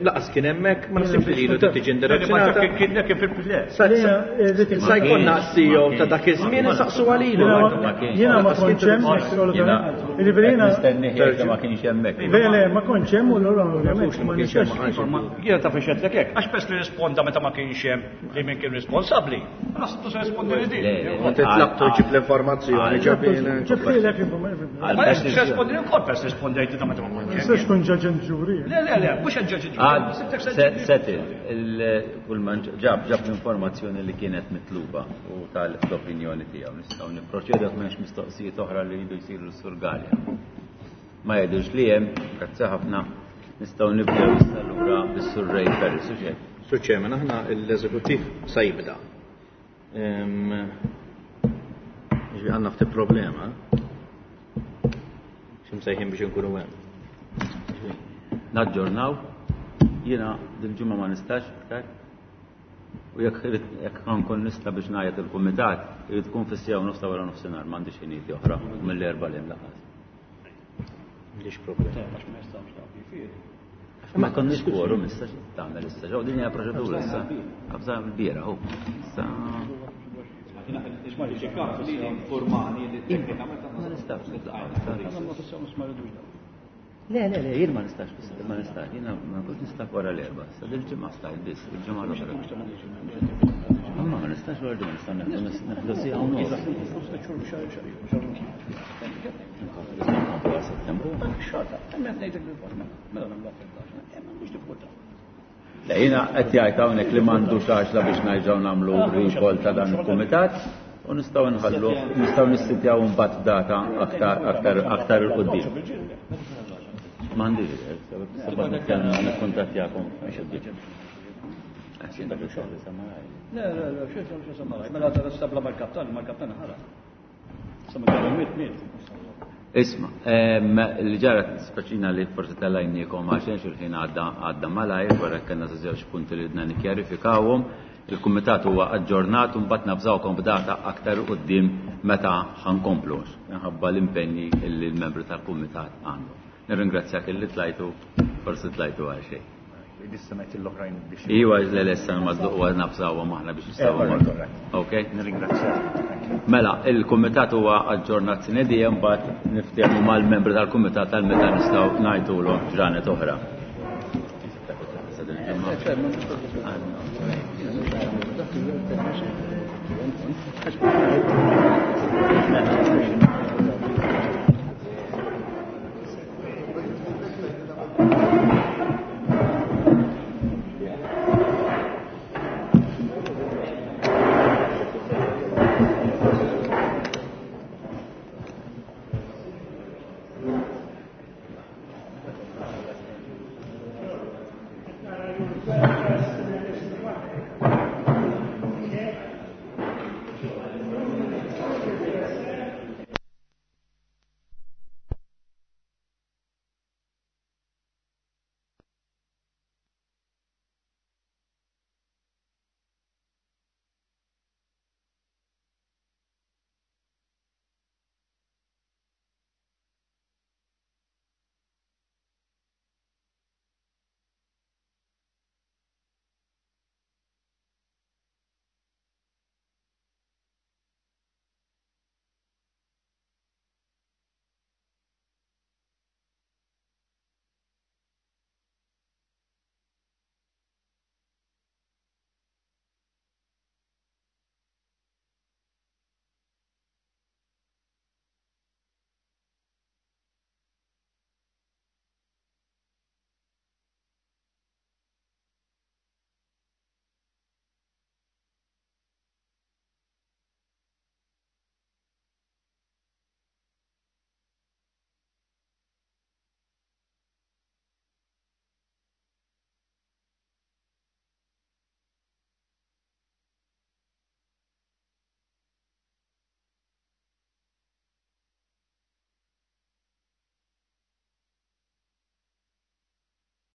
S5: Laqas kien hemmhekk, ma nasibx li lilu tiġi indirizzata. Sa jkollna C E O ta' dak iż-żmien insaqsu għalilu.
S8: Jiena ma kontx hemm,
S1: nistenni ħielka ma kienx hemmhekk.
S8: Le, le, ma kontx hemm u allura ovvjament ma nistax.
S4: Jiena taf ixedlek hekk, għax pers li risponda meta ma kienx hemm li min kien responsabbli. Naħseb se rispondi li din.
S5: Inti tlabtu ġib l-informazzjoni ġabina.
S8: Ġabtilek l-informazzjoni.
S4: Ma nistax rispondi wkoll pers rispondejt ta' meta ma kontx hemm.
S8: Nistax tkun ġaġen ġuri.
S4: Le, le, le, mhux ġaġen
S1: ġuri. Settle, kull man ġab ġab l-informazzjoni li kienet mitluba u tal-opinjoni tiegħu. Nistgħu nipproċedu jekk m'hemmx mistoqsijiet oħra li jridu jsiru s-Sur Galea. Ma jgħidux li hemm, grazzi ħafna, nistgħu nibdew issa lura bis-Sur Ray Ferris, u xejn.
S5: Sur Chairman, aħna l-eżekuttiv sa jibda. Ġifieri għandna ftit problema. X'imsejħin biex inkunu hemm.
S1: Naġġornaw, jiena dil-ġimgħa ma nistax iktar. U jekk jekk ħankun nista' biex ngħajjat il-kumitat, irid tkun fis-siegħa u nofs ta' wara nofsinhar, m'għandix ħinijiet oħra mill-erba' li hemm lanqas.
S5: M'għandix problema.
S1: Ma konniex quorum issa xi tagħmel issa, ġew din hija proċedura issa. Qabża l-biera hu. Issa ma nistax nitlaqgħu. Le, le, le, jien ma nistax, ma nistax, jiena ma kont nista' wara l-erba', sa dil-ġimgħa stajt biss, il-ġimgħa l-oħra. Imma ma nistax wara l-ġimgħa, nista' neħdu siegħa u nofs. Le, jiena qed jgħid hawnhekk li m'għandux għaxla biex nerġgħu nagħmlu recall ta' dan il-kumitat u nistgħu nħallu, nistgħu nissitjaw imbagħad data aktar, aktar, aktar 'il quddiem. M'għandix idea, sabad nitkellmu nikkuntattjakom.
S4: Le, le, le, xejn xejn samaraj. Mela ta' sabla mal-kaptan, mal-kaptan ħarab. Sa ma kellu miet miet.
S1: Isma, li ġara spaċina li forsi tal-lajniekom għaxen xil-ħin għadda għadda malajr, wara kellna żewġ punti li ridna nikkjarifikawhom. Il-kumitat huwa aġġornat u mbagħad nafżawkom b'data aktar quddiem meta ħankomplu, minħabba l-impenji li l-membri tal-kumitat għandhom. Nirringrazzjak illi tlajtu, forsi tlajtu għal xejn.
S9: Issa l-oħrajn biex.
S1: Iwa, le, le, issa nmaddu u nafżawhom aħna biex nistgħu mmorru. Ok?
S9: Nirringrazzjak.
S1: Mela, il-kumitat huwa aġġornat sine die, mbagħad niftehmu mal-membri tal-kumitat tal meta nistgħu ngħidulhom ġranet oħra.
S4: Thank you.